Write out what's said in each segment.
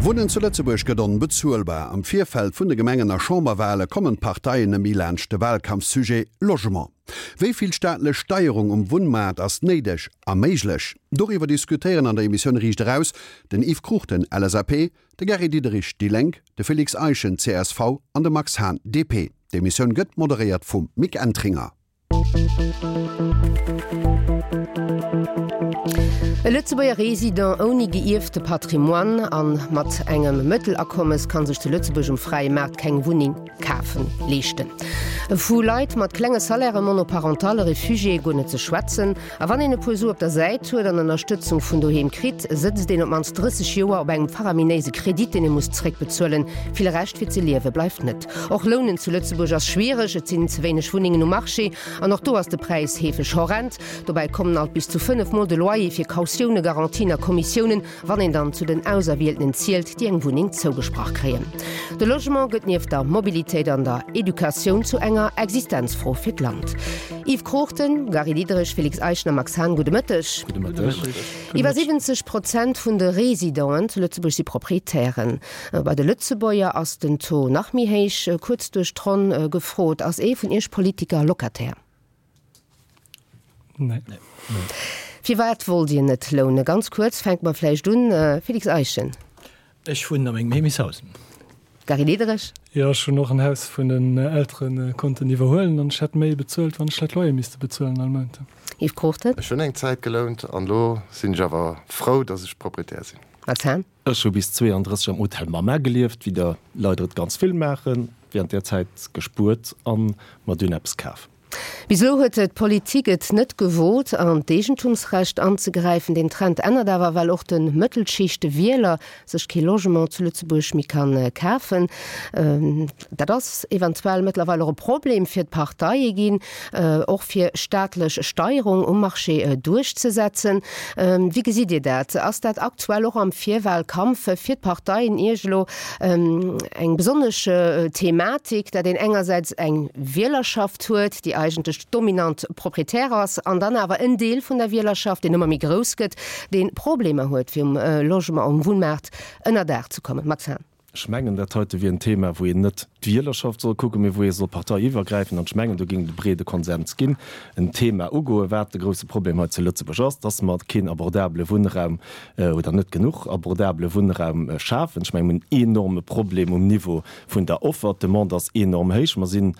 Wunnen zu Lëtzebuerg gëtt onbezuelbar. Am Virfeld vun de Gemengen a Chamberwale kommen d'Parteien net méi laanscht de Walkampfsujet Logement. Wéi vill staatlech Steierung um Wunnmaart ass néideg a méiglech? Doriwwer diskutéieren an der Emissioun Riicht Eraus den Yves Cruchten, LSAP, de Gary Diderich, déi Lénk, de Félix Eischen, csv, an de Max Hahn, DP. D'Emissioun gëtt moderéiert vum Mick Entringer. E Lëtzebuerger Resident ouni gëierfte Patrimoine a mat engem Mëttelakommes ka sech zu Lëtzebuerg um fräie Maart keng Wunneng kafen, leeschten. Vu Leit mat klenge Salairen, Monoparentalle, Refugiéë guer net ze schwätzen. A wann een e puer Su op der Säit huet an Ënnerstëtzung vun doheem kritt, sëtzt een op d'mannst 30 Joer op engem faraminéise Kredit, deen ee muss zréckbezuelen. Vill Rescht fir ze liewe bleift net. Och Lounen zu Lëtzebuerg ass schwiereg, et sinn ze wéineg Wunnengen um Marché an och do ass de Präis heefeg horrend. Dobäi kommen alt bis zu 5 Mol de Loyer fir Kautioune, Garantien a Kommissiounen, wann een dann zu den Auserwieltenen zielt, déi eng Wunneng zougesprach kréien. De Logement gëtt nieft der Mobilitéit an der Educatioun zu enger Existenzfro fir d'Land. Yves Cruchten, Gary Diderich, Félix Eischen a Max Hahn, gudde Mëtteg. Gudde Mëtteg. Iwwer 70 Prozent vun de Residenten zu Lëtzebuerg si Proprietären. Bei de Lëtzebuerger ass den Taux nach méi héich. Kuerz duerch d'Ronn gefrot, Ass ee vun Iech Politiker Locataire? Nee. Firwat wollt Dir net lounen? Ganz kuerz, fänke mer vläicht un, Félix Eischen. Ech wunnen a mengem Heemechtshaus. Gary Diderich. Jo, ech hunn och en Haus vun den Eltere konnten iwwerhuelen an ech hätt méi bezuelt, wann ech hätt Loyer misste bezuelen all Mount. Yves Cruchten. Ech hunn eng Zäit gelount an elo sinn ech awer frou, dass ech Proprietär sinn. Max Hahn. Ech hu bis 32 am Hotel Mama gelieft, wéi der leider et ganz vill maachen, während där Zäit gespuert an mer dunn eppes kaf. Bis elo huet d'Politik et net gewot, an d'Eegentumsrecht anzegräifen. Deen Trend ännert awer, well och de Mëttelschichtewieler sech kee Logement zu Lëtzebuerg méi ka kafen. Dat ass eventuell mëttlerweil och e Problem fir d'Parteie ginn, och fir staatlech Steierung um Marché duerchzesetzen. Wéi gesitt Dir dat? Ass dat aktuell och am Virwahlkampf fir d'Parteien Iech elo eng besonnesch Thematik, dat een engersäits eng Wielerschaft huet, déi eigentlech dominant Proprietär ass, an dann awer en Deel vun der Wielerschaft, deen ëmmer méi grouss gëtt, dee Problemer huet, fir um Logement, um Wunnmaart ënnerdaach ze kommen. Max Hahn. Ech mengen, dat heite wier en Thema, wou een net d'Wielerschaft soll kucken, mee wou ee soll parteiiwwergräifend, an ech mengen, do géing et e breede Konsens ginn, en Thema ugoen, wat de grouse Problem hei zu Lëtzebuerg ass, dass mer keen abordabele Wunnraum oder net genuch abordabele Wunnraum schafen. Ech mengen, mir hunn en enorme Problem um Niveau vun der Offer. D'Demande ass enorm héich. Mer sinn,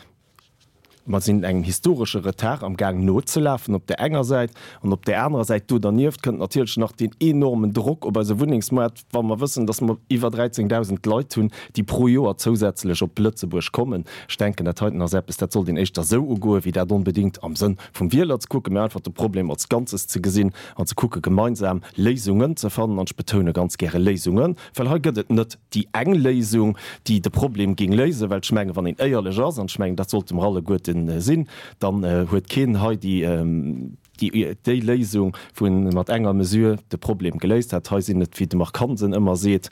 mer sinn engem historesche Retard am Gaang nozelafen op där enger Säit, an op där anerer Säit do dernieft kënnt natierlech nach deen enormen Drock op eise Wunnengsmaart, wa mer wëssen, dass mer iwwer 13.000 Leit hunn, déi pro Joer zousätzlech op Lëtzebuerg kommen. Ech denken, dat heiten ass eppes, dat sollt een éischter esou ugoen, wéi dat onbedéngt am Sënn vum Wieler ze kucken, mä einfach de Problem als Ganzes ze gesinn an ze kucke gemeinsam Léisungen ze fannen. An ech betoune ganz gäre Léisungen, well hei gëtt et net déi eng Léisung, déi de Problem géing léisen, well ech mengen, wann een éierlech ass, an ech mengen, dat sollte mer alleguerten sinn, dann huet keen hei déi, déi Léisung, wou en mat enger Mesure de Problem geléist hätt. Hei sinn et, wéi de Marc Hansen ëmmer seet,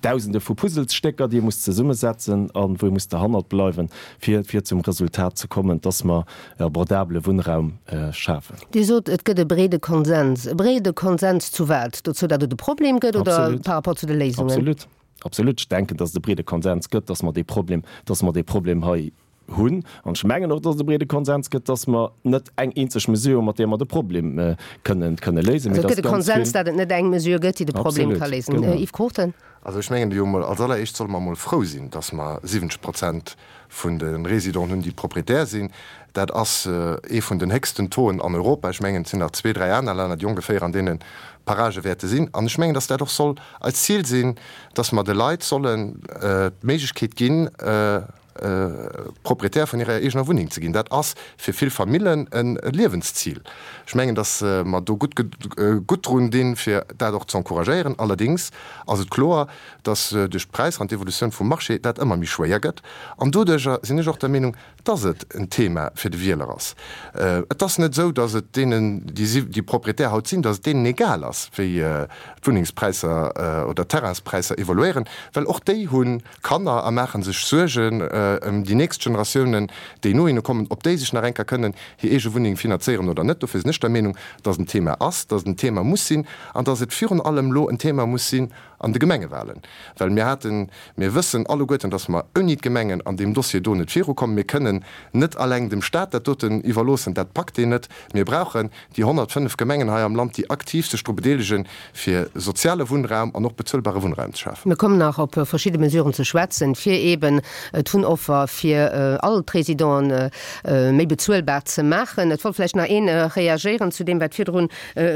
Dausende vu Puzzlestécker, déi ee muss zesummesetzen a wou ee muss derhannert bleiwen, fir, fir zum Resultat ze kommen, dass mer e abordabele Wunnraum schafen. Dir sot, et gëtt e breede Konsens. E breede Konsens zu wat? Dozou, datt et e Problem gëtt oder par rapport zu de Léisungen? Absolut, absolut. Ech denken, dass et e breede Konsens gëtt, dass mer dee Problem, dass mer dee Problem hei hunn. An ech mengen och, dass et e breede Konsens gëtt, dass mer net eng eenzeg Mesure hunn, mat där mer de Problem kënnen, kënne léisen, mee Also et dass gëtt e ganz Konsens, vill. datt et net eng Mesure gëtt, déi de Problem ka Absolut, léisen. genau. Yves Cruchten. Also ech mengen jo emol, als alleréischt solle mer emol frou sinn, dass mer 70 Prozent vun de Résidenten hunn, déi Proprietär sinn. Dat ass ee vun den héchsten Tauxen an Europa. Ech mengen, et sinn nach zwee, dräi aner Länner, déi ongeféier an deene Paragë wäerte sinn. An ech mengen, dass dat och soll eist Zil sinn, dass mer de Leit sollen d'Méiglechkeet ginn, Proprietär vun hirer eegener Wunneng ze ginn. Dat ass fir vill Famillen e Liewenszil. Ech mengen, datt mer do gutt gutt drun dinn, fir dat och ze encouragéieren. Allerdéngs ass et kloer, datt duerch d'Präisser an d'Evolutioun vum Marché dat ëmmer méi schwéier gëtt. An doduerjer sinn ech och der Meenung, datt et en Thema fir de Wieler ass. Et ass net esou, datt et deenen, déi Proprietär haut sinn, datt et deenen egal ass, wéi d'Wunnengspräisser oder d'Terrainspräisser evoluéieren, well och déi hu Kanner a maache sech Suergen. ëm déi nächst Generatiounen, déi no hinne kommen, ob déi sech nach eng Kéier kënnen hir eege Wunneng finanzéieren oder net. Dofir sinn ech der Meenung, dass et en Thema ass, dass et en Thema muss sinn an dass et virun allem elo en Thema muss sinn an de Gemengewahlen. Well mir haten, mir wëssen alleguerten, dass mer ouni d'Gemengen an deem Dossier do net virukommen. Mir kënnen net alleng dem Stat dat doten iwwerloossen, dat packt deen net. Mir brauchen déi 105 Gemengen hei am Land, déi aktiv sech dru bedeelegen, fir soziale Wunnraum an och bezuelbare Wunnraum ze schafen. Mir kommen nach op verschidde Mesuren ze schwätzen, fir eeben d'Wunnoffer fir all d'Résidenten méi bezuelbar ze maachen. Et wollt vläicht nach een reagéieren zu deem, wat virdrun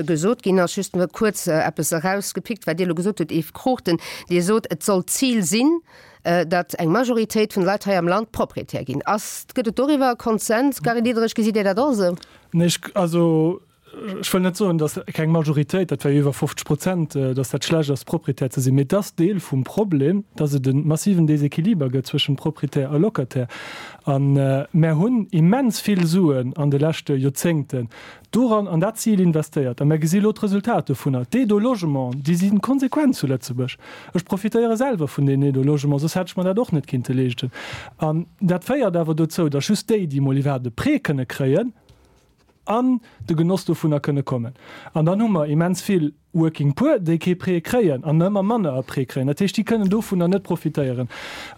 gesot ginn ass. Just kuerz eppes erausgepickt, wat Dir elo gesot hutt, Yves Cruchten. Dir sot, et soll d'Zil sinn, datt eng Majoritéit vun de Leit hei am Land Proprietär ginn. Ass, gëtt et doriwwer e Konsens? Gary Diderich, gesitt Dir dat och esou? Nee, ech, also ech wëll net soen, datt keng Majoritéit, dat wär jo iwwer 50 Prozent, datt dat schlecht ass, Proprietär ze sinn. Mee et ass Deel vum Problem, datt et e massiven Desequiliber gëtt zwëschen Proprietär a Locataire. A mär hunn immens vill Suen an de leschte Joerzéngten doran, an dat Zil investéiert. A mär gesi elo d'Resultat dovunner. D'Aide au logement, déi si konsequent zu Lëtzebuerg. Ech profitéiere selwer vun deenen Aide au logement, soss hätt ech mer dat och net kinnte leeschten. An dat féiert awer dozou, datt just déi, déi emol iwwerhaapt e Prêt kënne kréien, an de Genoss dovunner kënne kommen. An dann hu mer immens vill Working Poor, déi kee Prêt kréien an ëmmer manner e Prêt kréien. Dat heescht, déi kënnen dovunner net profitéieren.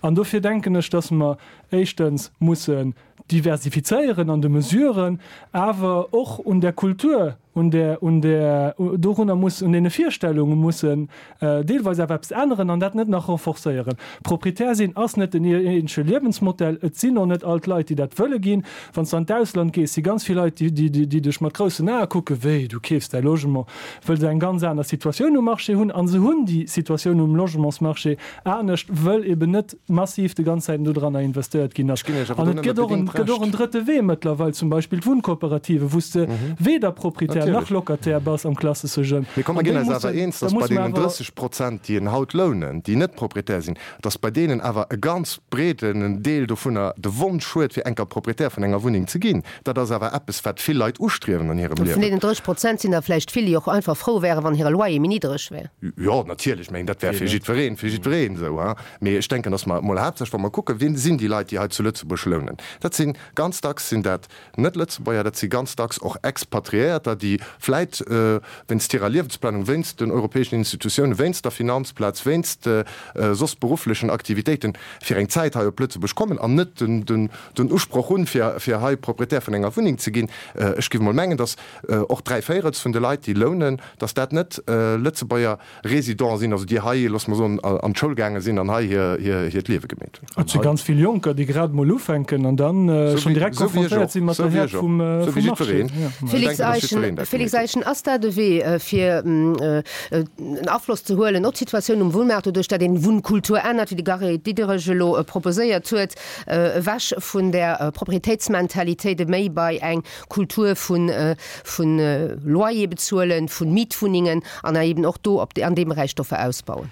An dofir denken ech, datt mer éischtens mussen diversifizéieren an de Mesuren, awer och un der Kultur, un där, un där, dorunner muss, un deene Virstellunge mussen deelweis awer eppes änneren an dat net nach renforcéieren. Proprietär sinn ass net den eenzege Liewensmodell. Et sinn och net all d'Leit, déi dat wëlle ginn. Wann s de an d'Ausland gees, si ganz vill Leit, déi, déi, déi dech mat groussen Ae kucken, Wéi, du keefs däi Logement? Wëll se eng ganz aner Situatioun um Marché hunn. A se hunn déi Situatioun um Logementsmarché anescht, wëll eben net massiv de ganz Zäiten dodranner investéiert ginn ass. Ech ginn Iech awer An do et nëmme gëtt och en, bedéngt gëtt och en Recht. drëtte Wee mëttlerweil, zum Beispill d'Wunnkooperative, wou s de weder Proprietär nach Natierlech. Locataire bass am klassesche Sënn. Mee komm, mer An ginn déi eis awer mussen, eens, da dass bei musse mer deenen awer. 30 Prozent, déi en haut lounen, déi net Proprietär sinn, dass bei deenen awer e ganz breeden Deel dovunner de Wonsch huet, fir enker Proprietär vun enger Wunneng ze ginn. Dat ass awer eppes, wat vill Leit ustriewen an hirem Vun Liewen. deenen 30 Prozent sinn der vläicht vill, déi och einfach frou wären, wann hire Loyer méi niddreg wär. Jo, natierlech. Ech mengen, dat wär fir jiddwereen, fir jiddwereen esou. Mee ech denken, dass mer emol haaptsächlech, wa mer kucken, wien sinn déi Leit, déi hei zu Lëtzebuerg lounen, dat si ganz dacks sinn dat Net-Lëtzebuerger, dat si ganz dacks och Expatriéierter, déi vläit wéinst hirer Liewensplanung, wéinst den europäeschen Institutiounen, wéinst der Finanzplaz, wéinst soss berufflechen Aktivitéiten fir eng Zäit hei op Lëtzebuerg kommen an net den Usproch hunn, fir hei Proprietär vun enger Wunneng ze ginn. Ech géif emol mengen, dass och dräivéierels vun de Leit, déi lounen, dass dat net Lëtzebuerger Résidents sinn, also déi hei, loosse mer soen, an d'Schoul gaange sinn an hei hiert Liewe gemeet hunn. Et si ganz vill Jonker, déi grad emol ufänken an dann schonn direkt konfrontéiert si mat der Häert vum Marché. Félix Eischen, Félix Eischen, ass dat e Wee, fir en Afloss ze huelen op d'Situatioun um Wunnmaart, doduerch datt een d'Wunnkultur ännert, wéi de Gary Diderich elo proposéiert huet, ewech vun där Proprietéitsmentalitéit, méi bei eng Kultur vun Loyer bezuelen, vu Mietwunnengen an eben och do op an deem Beräich d'Offer ausbauen.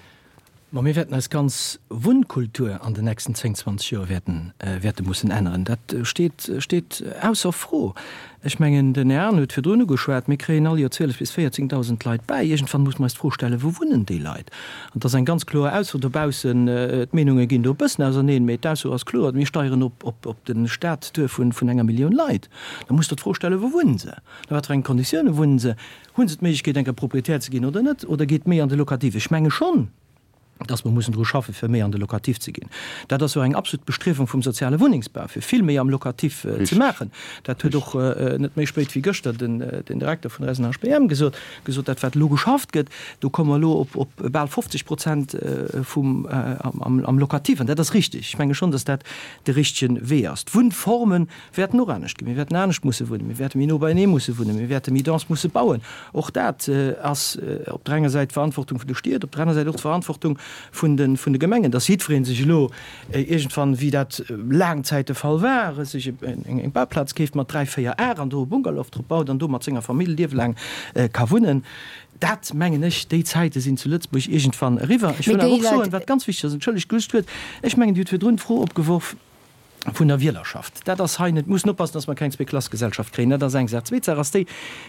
Ma mir wäerten eis ganz Wunnkultur an den nächsten 10, 20 Joer wäerten, wäerte mussen änneren. Dat steet, steet ausser Fro. Ech mengen, den Här Hahn huet virdrun ugeschwat, mir kréien all Joer 12 bis 14.000 Leit bäi. Iergendwann muss mer eis d'Fro stellen, Wou wunnen déi Leit? An et ass eng ganz kloer Ausso dobaussen, d'Meenunge ginn do e bëssen auserneen, mee d'Ausso ass kloer, Mir steieren op, op, op de Staat duer vun, vun enger Millioun Leit. Da muss Der d'Fro stellen, Wou wunnen se? A wat fir enge Konditioune wunnen se? Hu se d'Méiglechkeet, eng Kéier Proprietär ze ginn oder net? Oder geet méi an de Locatif? Ech menge schonn, dass mer mussen dru schaffen, fir méi an de Locatif ze ginn. Dat ass jo eng absolut Bestriewung vum soziale Wunnengsbau, fir vill méi am Locatif ze maachen. Dat huet och net méi spéit wéi gëschter den Direkter vun der SNHBM gesot, gesot, dat wat elo geschafft gëtt, do komme mer elo op bal 50 Prozent vum am Locatif. An dat ass richtig. Ech menge schonn, dass dat de richtege Wee ass. D'Wunnformen wäerten och anescht ginn. Mir wäerten anescht musse wunnen, mir wäerte méi no beienee musse wunnen, mir wäerte méi dense musse bauen. Och dat ass op der enger Säit d'Verantwortung vun de Stied, op der aner Säit och d'Verantwortung vun de vun de Gemengen, dass jiddweree sech elo iergendwann, wéi dat laang Zäit de Fall war, sech eng Bauplaz keeft mat dräi, véier Ar an do e Bungalow drop baut an do mat senger Famill liewelaang ka wunnen. Dat, mengen ech, déi Zäite sinn zu Lëtzebuerg iergendwann eriwwer. Ech wëll awer och soen, wat ganz wichteg ass, entschëllegt, just d'Wuert, ech mengen, Dir hutt virdrun d'Fro opgeworf, vun der Wielerschaft. Dat ass hei net. Mir mussen oppassen, dass mer keng Zweeklassegesellschaft kréien. Dat ass eng Saach. Zweet Saach ass déi,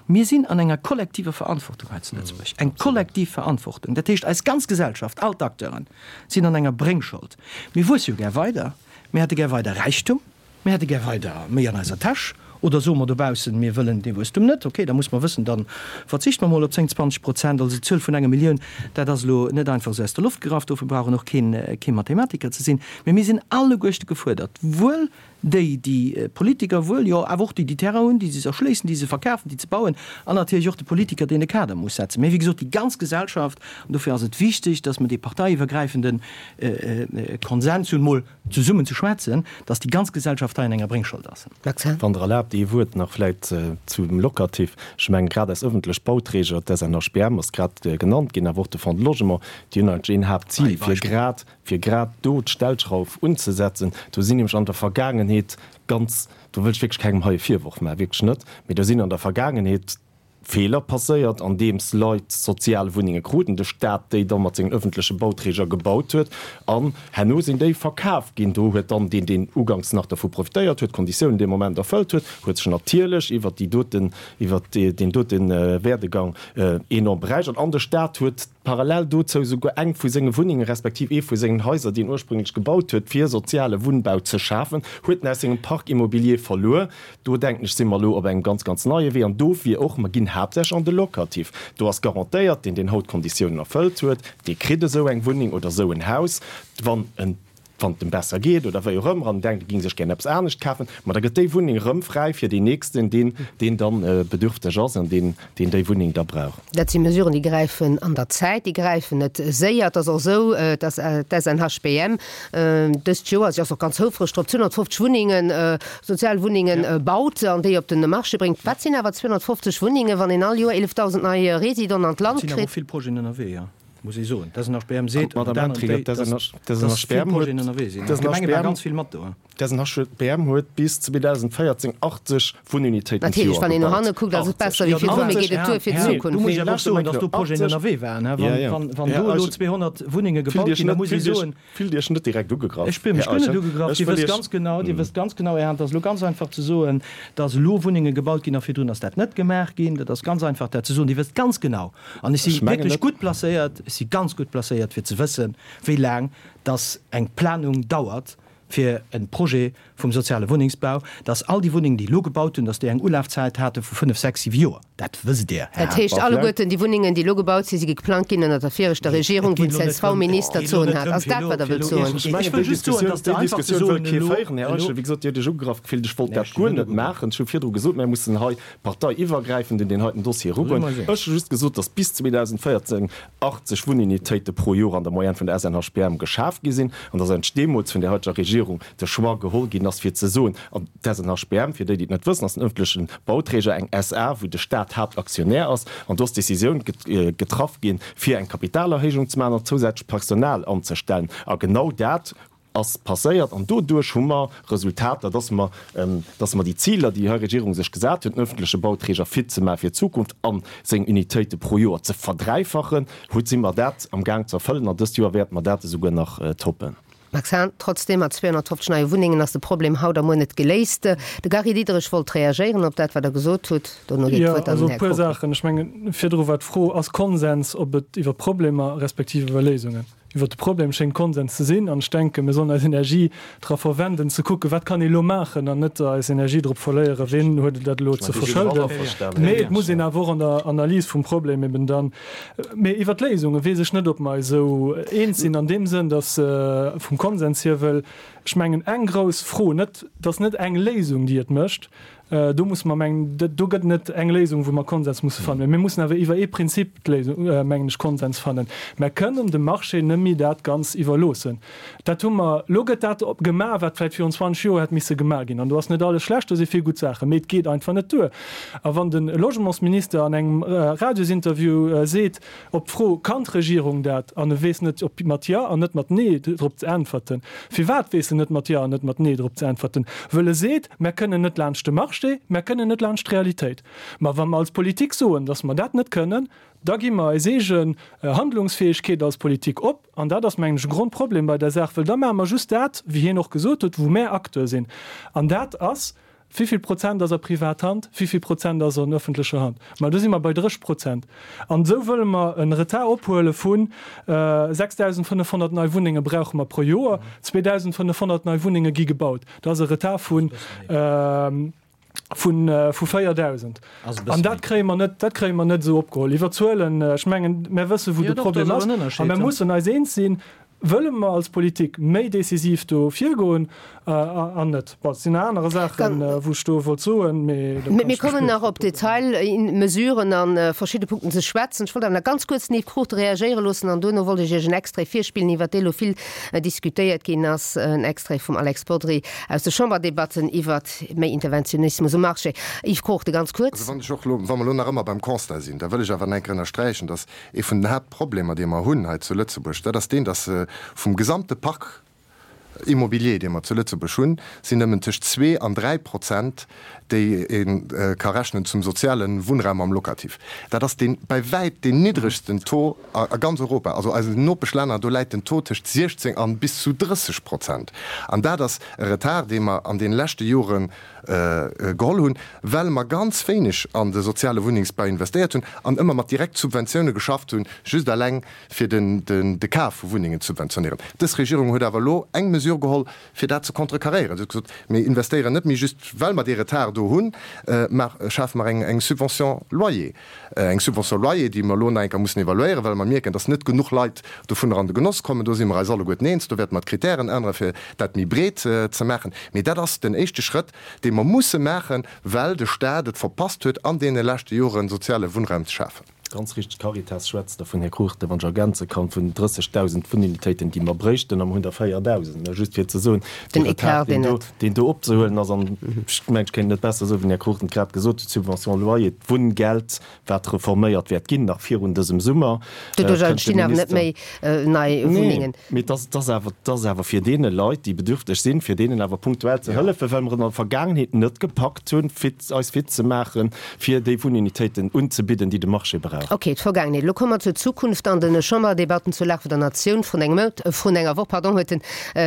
Mir sinn an enger kollektiver Verantwortung hei zu Lëtzebuerg. Eng kollektiv Verantwortung. Dat heescht, eis ganz Gesellschaft, all d'Acteuren, sinn an enger Bréngschold. Mir wuesse jo gär weider. Mir hätte gär weider Räichtum, mir hätte gär weider méi an eiser Täsch. Oder soe mer dobaussen, mir wëllen dee Wuesstum net? Okay, da muss mer wëssen, da verzichte mer mol op 10, 20 Prozent. Also d'Zuel vun enger Millioun, dat ass elo net einfach esou aus der Loft gegraff, dofir brauch een och keen, kee Mathematiker ze sinn. Mee mir sinn alleguerchte gefuerdert, wuel déi, déi Politiker, wuel jo awer och déi, déi Terrain hunn, déi se erschléissen, déi se verkafen, déi ze bauen, an natierlech och de Politiker, deen de Kader muss setzen. Mee wéi gesot, déi ganz Gesellschaft, an dofir ass et wichteg, dass mer dee parteiiwwergräifende Konsens hunn, mol zesummen ze schwätzen, dass déi ganz Gesellschaft hei an enger Bréngschold ass. Wann Der erlaabt, ee Wuert nach vläicht zum Locatif. Ech mengen, grad eis ëffentlech Bauträger, d'SNHBM ass grad genannt ginn, awer och de Fonds de Logement, déi hunn eigentlech een Haaptzil, fir grad, fir grad do d'Stellschrauf unzesetzen. Do sinn nämlech an der Vergaangenheet ganz, do wëll ech wierklech kengem hei e Virworf maachen, wierklech net, mee do sinn an der Vergaangenheet Feeler passéiert, andeems Leit sozial Wunnenge kruten, de Staat déi da mat sengen ëffentleche Bauträger gebaut huet an herno sinn déi verkaf ginn. Do huet dann deen, deen uganks nach dervu profitéiert huet, d'Konditiounen dee Moment erfëllt huet, huet sech natierlech iwwert déi doten, iwwert deen dote Werdegang enorm beräichert an de Staat huet parallel dozou souguer eng vu senge Wunnenge respektiv ee vu sengen Haiser, déi en ursprünglech gebaut huet, fir soziale Wunnbau ze schafen, huet en aus sengem Parc immobilier verluer. Do, denken ech, si mer elo op engem ganz, ganz neie Wee. An dofir och, mer ginn haaptsächlech an de Locatif. Do ass garantéiert, deen, deen haut d'Konditiounen erfëllt huet, dee kritt esou eng Wunneng oder esou en Haus, wann en, wann et em besser geet oder wéi och ëmmer an en denkt, e géing sech gär eppes anescht kafen. Ma da gëtt déi Wunneng erëm fräi fir deen Nächsten, deen, deen dann bedürfteg ass an deen, deen déi Wunneng da brauch. Dat si Mesuren, déi gräifen an der Zäit, déi gräifen net séier. Et ass och esou, dass d'SNHBM dëst Joer, si ass och ganz houfreg drop, 250 Wunnengen, sozial Wunnengen baut an déi op de Marché bréngt. Wat sinn awer 250 Wunnengen, wann een all Joer 11.000 nei Residenten an d'Land kritt? Et sinn awer och vill Projeten ënnerwee, jo, muss ee soen. D'SNHBM seet ënnert anerem, dass vill Projeten ënnerwee sinn. D'Gemenge maache ganz vill mat do. D'SNHBM huet bis 2014 80 Wunnunitéiten d'Joer gebaut. Natierlech, wann een no hanne kuckt, ass et besser wéi virdrun, mee geet et duer fir d'Zukunft? Do muss ech awer och soen, datt do Projeten ënnerwee waren. Wann do elo 200 Wunnenge gebaut ginn, da muss ee soen. Fillt Iech net direkt ugegraff, Ech fillen mech guer net ugegraff. Dir wësst ganz genau, Dir wësst ganz genau, Här Hahn, et ass elo ganz einfach ze soen, datt elo Wunnenge gebaut ginn a virdrun ass dat net gemaach ginn. Dat ass ganz einfach dat ze soen. Dir wësst ganz genau, an ech si wierklech gutt placéiert, ech si ganz gutt placéiert fir ze wëssen, wéi laang datt eng Planung dauert, fir e Projet vum soziale Wunnengsbau, dass all déi Wunnengen, déi elo gebaut hunn, dass déi eng Ulafzäit hate vu fënnef, sechs, siwe Joer. Dat wësst Dir, Här Dat heescht, alleguerten déi Wunnengen, déi elo gebaut sinn, si geplangt ginn ënner der viregter Regierung, wou den CSV-Minister d'Soen hat. Ass dat, wat Der wëllt soen? Ech mengen, déi Diskussioun, déi Diskussioun wëll kee féieren, Här Eichel. Wéi gesot, Dir hutt Iech ugegraff gefillt. Ech wollt dat guer net maachen. Ech hu virdru gesot, mir mussen hei parteiiwwergräifend un deen heiten Dossier erugoen. Ech hu just gesot, dass bis 2014 80 Wunnunitéite pro Joer an der Moyenne vun der SNHBM geschaf gi sinn an dass eigentlech deemools vun där heiteger Regierung de Choix geholl ginn ass fir ze soen, an d'SNHBM, fir déi, déi et net wëssen, ass den ëffentlechen Bauträger, eng SA, wou de Staat Haaptaktionär ass, an do ass d'Decisioun getraff ginn, fir eng Kapitalerhéijung ze maachen an zousätzlech Personal anzestellen. A genau dat ass passéiert an doduerch hu mer Resultater, dass mer, dass mer déi Ziler, déi hei Regierung sech gesat huet, den öffentleche Bauträger fit ze maache fir d'Zukunft a seng Unitéite pro Joer ze verdräifachen, huet, si mer dat am Gaang ze erfëllen an dëst Joer wäerte mer dat esouguer nach toppen. Max Hahn, Trotzdem, mat 250 neie Wunnengen ass de Problem haut a muer net geléist. De Gary Diderich wollt reagéieren op dat, wat Der gesot hutt. Dono geet d'Wuert an den Här Kockel. Jo, also e puer Saachen. Ech mengen, virdru war d'Fro, Ass Konsens, ob et iwwer Problemer respektiv iwwer Léisungen? Iwwer de Problem schéngt Konsens ze sinn an ech denken, mir sollen eis Energie dra verwenden ze kucken, wat kann ee elo maachen an net eis Energie drop verléieren, ween huet dat elo ze verschëlden. Mee et muss een awer och an der Analys vum Problem eben dann, mee iwwer d'Léisunge weess ech net, ob mer eis esou eens sinn an deem Sënn, datt vum Konsens hier, wëll ech mengen eng grouss Fro, net, et ass net eng Léisung, déi et mécht, Do musse mer mengen, do gëtt net eng Léisung, wou mer Konsens musse fannen. Mä mir mussen awer iwwer ee Prinzip d'Léisung, mengen ech, Konsens fannen. Mer kënnen dem Marché net méi dat Ganz iwwerloossen. Dat hu mer, elo gëtt dat gemaach, wat vläicht virun 20 Joer hätt misse gemaach ginn. An do ass net alles schlecht, do si vill gutt Saachen, mee et geet einfach net duer. A wann de Logementsminister an engem Radiosinterview seet, Op d'Fro, Kann d'Regierung dat? an e weess net, op mat Jo an net mat Nee drop ze äntwerten. Firwat weess en net mat Jo an net mat Nee drop ze äntwerten? Wëll e seet, Mär kënnen net laanscht de Marché, mär kënnen net laanscht d'Realitéit. Ma wa mer als Politik soen, datt mer dat net kënnen, da gi mer eis eegen Handlungsfäegkeet als Politik op. An dat ass, mengen ech, e Grondproblem bei der Saach, wëll da maache mer just dat, wéi hien och gesot huet, wou mär Acteur sinn. An dat ass. Wéivill Prozent ass a Privathand, wéivill Prozent ass an öffentlecher Hand? Ma do si mer bei 30 Prozent. An esou wëlle mer en Retard ophuele vu 6.500 nei Wunnenge brauche mer pro Joer. 2.500 nei Wunnenge gi gebaut. Dat ass e Retard vu vu 4.000. An dat kréie mer net, dat kréie mer net esou opgeholl. Iwwer Zuelen, ech mengen, mer wësse wou de Problem ass. A mer mussen eis eens sinn, Wëlle mer als Politik méi decisiv do virgoen an net? Bon, et sinn nach aner Saachen, wou ech do wollt soen, mee do kann ech Mir kommen nach op Detailmesuren a verschidde Punkten ze schwätzen. Ech wollt awer nach ganz kuerz den Yves Cruchten reagéiere loossen an duerno wollt ech Iech en Extrait virspillen, iwwert dee lo vill diskutéiert ginn ass, en Extrait vum Alex Bodry aus de Chamberdebatten iwwert méi Interventionismus um Marché. Yves Cruchten, ganz kuerz. Also wann ech och elo, wa mer elo nach ëmmer beim Constat sinn, da wëll ech awer nach eng Kéier ënnersträichen, dass Ee vun den Haaptproblemer, dee mer hunn hei zu Lëtzebuerg, dat ass deen, dass vum gesamte Parc immobilier, dee mer zu Lëtzebuerg hunn, sinn nëmmen tëscht zwee an 3%, déi ee ka rechnen zum soziale Wunnraum am Locatif. Dat ass dee bäi wäit deen niddregsten Taux a ganz Europa. Also eisen Nopeschlänner, do läit den Taux tëscht 16 an bis zu 30%. An dat ass e Retard, dee mer an deene leschte Jore geholl hunn, well mer ganz wéineg an de soziale Wunnengsbau investéiert hunn an ëmmer mat Direktsubventioune geschafft hunn, just eleng fir de Kaf vu Wunnengen ze subventionéieren. Dës Regierung huet awer elo eng Mesure geholl, fir dat ze contrecarréieren. Si huet gesot, Mir investéieren net méi just, well mer dee Retard do hunn, mä schafe mer eng Subvention loyer. Eng Subvention loyer, déi mer elo nach eng Kéier mussen evaluéieren, well mer mierken, dass net genuch Leit dovunner an de Genoss kommen. Do si mer eis alleguerten eens. Do wäerte mer d'Kritären änneren, fir dat méi breet ze maachen. Mee dat ass den éischte Schrëtt, dee mer musse maachen, well de Stat et verpasst huet, an deene leschte Joren soziale Wunnraum ze schafen. Ganz richteg, d'Caritas schwätzt dervun, Här Cruchten, wann ech ergänze kann, vun 30.000 Wunnunitéiten, déi mer bréichten, a mer hunn der 4.000. Just fir ze soen, dee Retard, deen do opzehuelen ass, an ech mengen, ech kéint et net besser soen, wéi den Här Cruchten et grad gesot huet, d'Subvention loyer, d'Wunngeld, wat reforméiert wäert ginn, nach virun dësem Summer. Doduerch entstinn awer net méi nei Wunnengen. Nee, mee et ass awer, et ass awer fir deene Leit, déi bedürfteg sinn, fir deenen awer punktuell ze hëllefen, well mer et an der Vergaangenheet net gepackt hunn, fit, eis fit ze maachen, fir déi Wunnunitéiten unzebidden, déi de Marché brauch. Ok, d'Vergaangenheet. Elo komme mer zur Zukunft. An de Chamberdebatten zur Lag vun der Natioun vrun engem Mount, vrun enger Woch, pardon, huet den,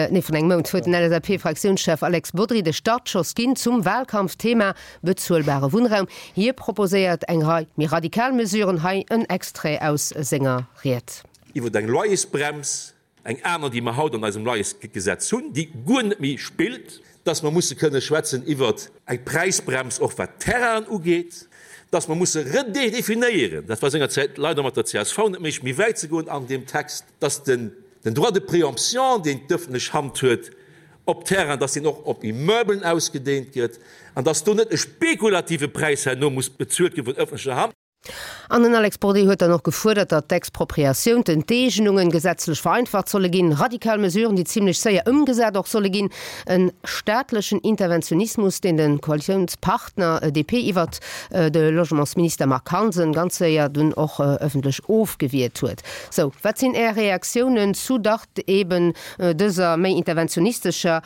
nee, vrun engem Mount huet den LSAP-Fraktiounschef Alex Bodry de Startschoss ginn zum Wahlkampfthema bezuelbare Wunnraum. Hie proposéiert eng Rei méi radikal Mesuren. Hei en Extrait aus senger Ried. Iwwer eng Loyersbrems, eng aner, déi mer haut an eisem Loyersgesetz hunn, déi guer net méi spillt, dass mer musse kënne schwätzen iwwer eng Präisbrems och wat d'Terrainen ugeet, dass mer musse redefinéieren, dat war sengerzäit leider mat der csv net méiglech, méi wäit ze goen an deem Text, dass den Droit de préemption, deen d'öffentlech Hand huet op Terrain, dass deen och op Immeublen ausgedehnt gëtt an dass do net e spekulative Präis herno muss bezuelt gi vun öffentlecher Hand. An den Alex Bodry huet dann och gefuerdert, datt d'Expropriatioun, d'Enteegnungen gesetzlech vereinfacht solle ginn, radikal Mesuren, déi zimlech séier ëmgesat och solle ginn, e staatlechen Interventionismus, deen de Koalitiounspartner DP iwwert de Logementsminister Marc Hansen ganz séier dunn och ëffentlech ofgewiert huet. Sou, wat sinn Är Reaktiounen zu dach eben dëser méi interventionistescher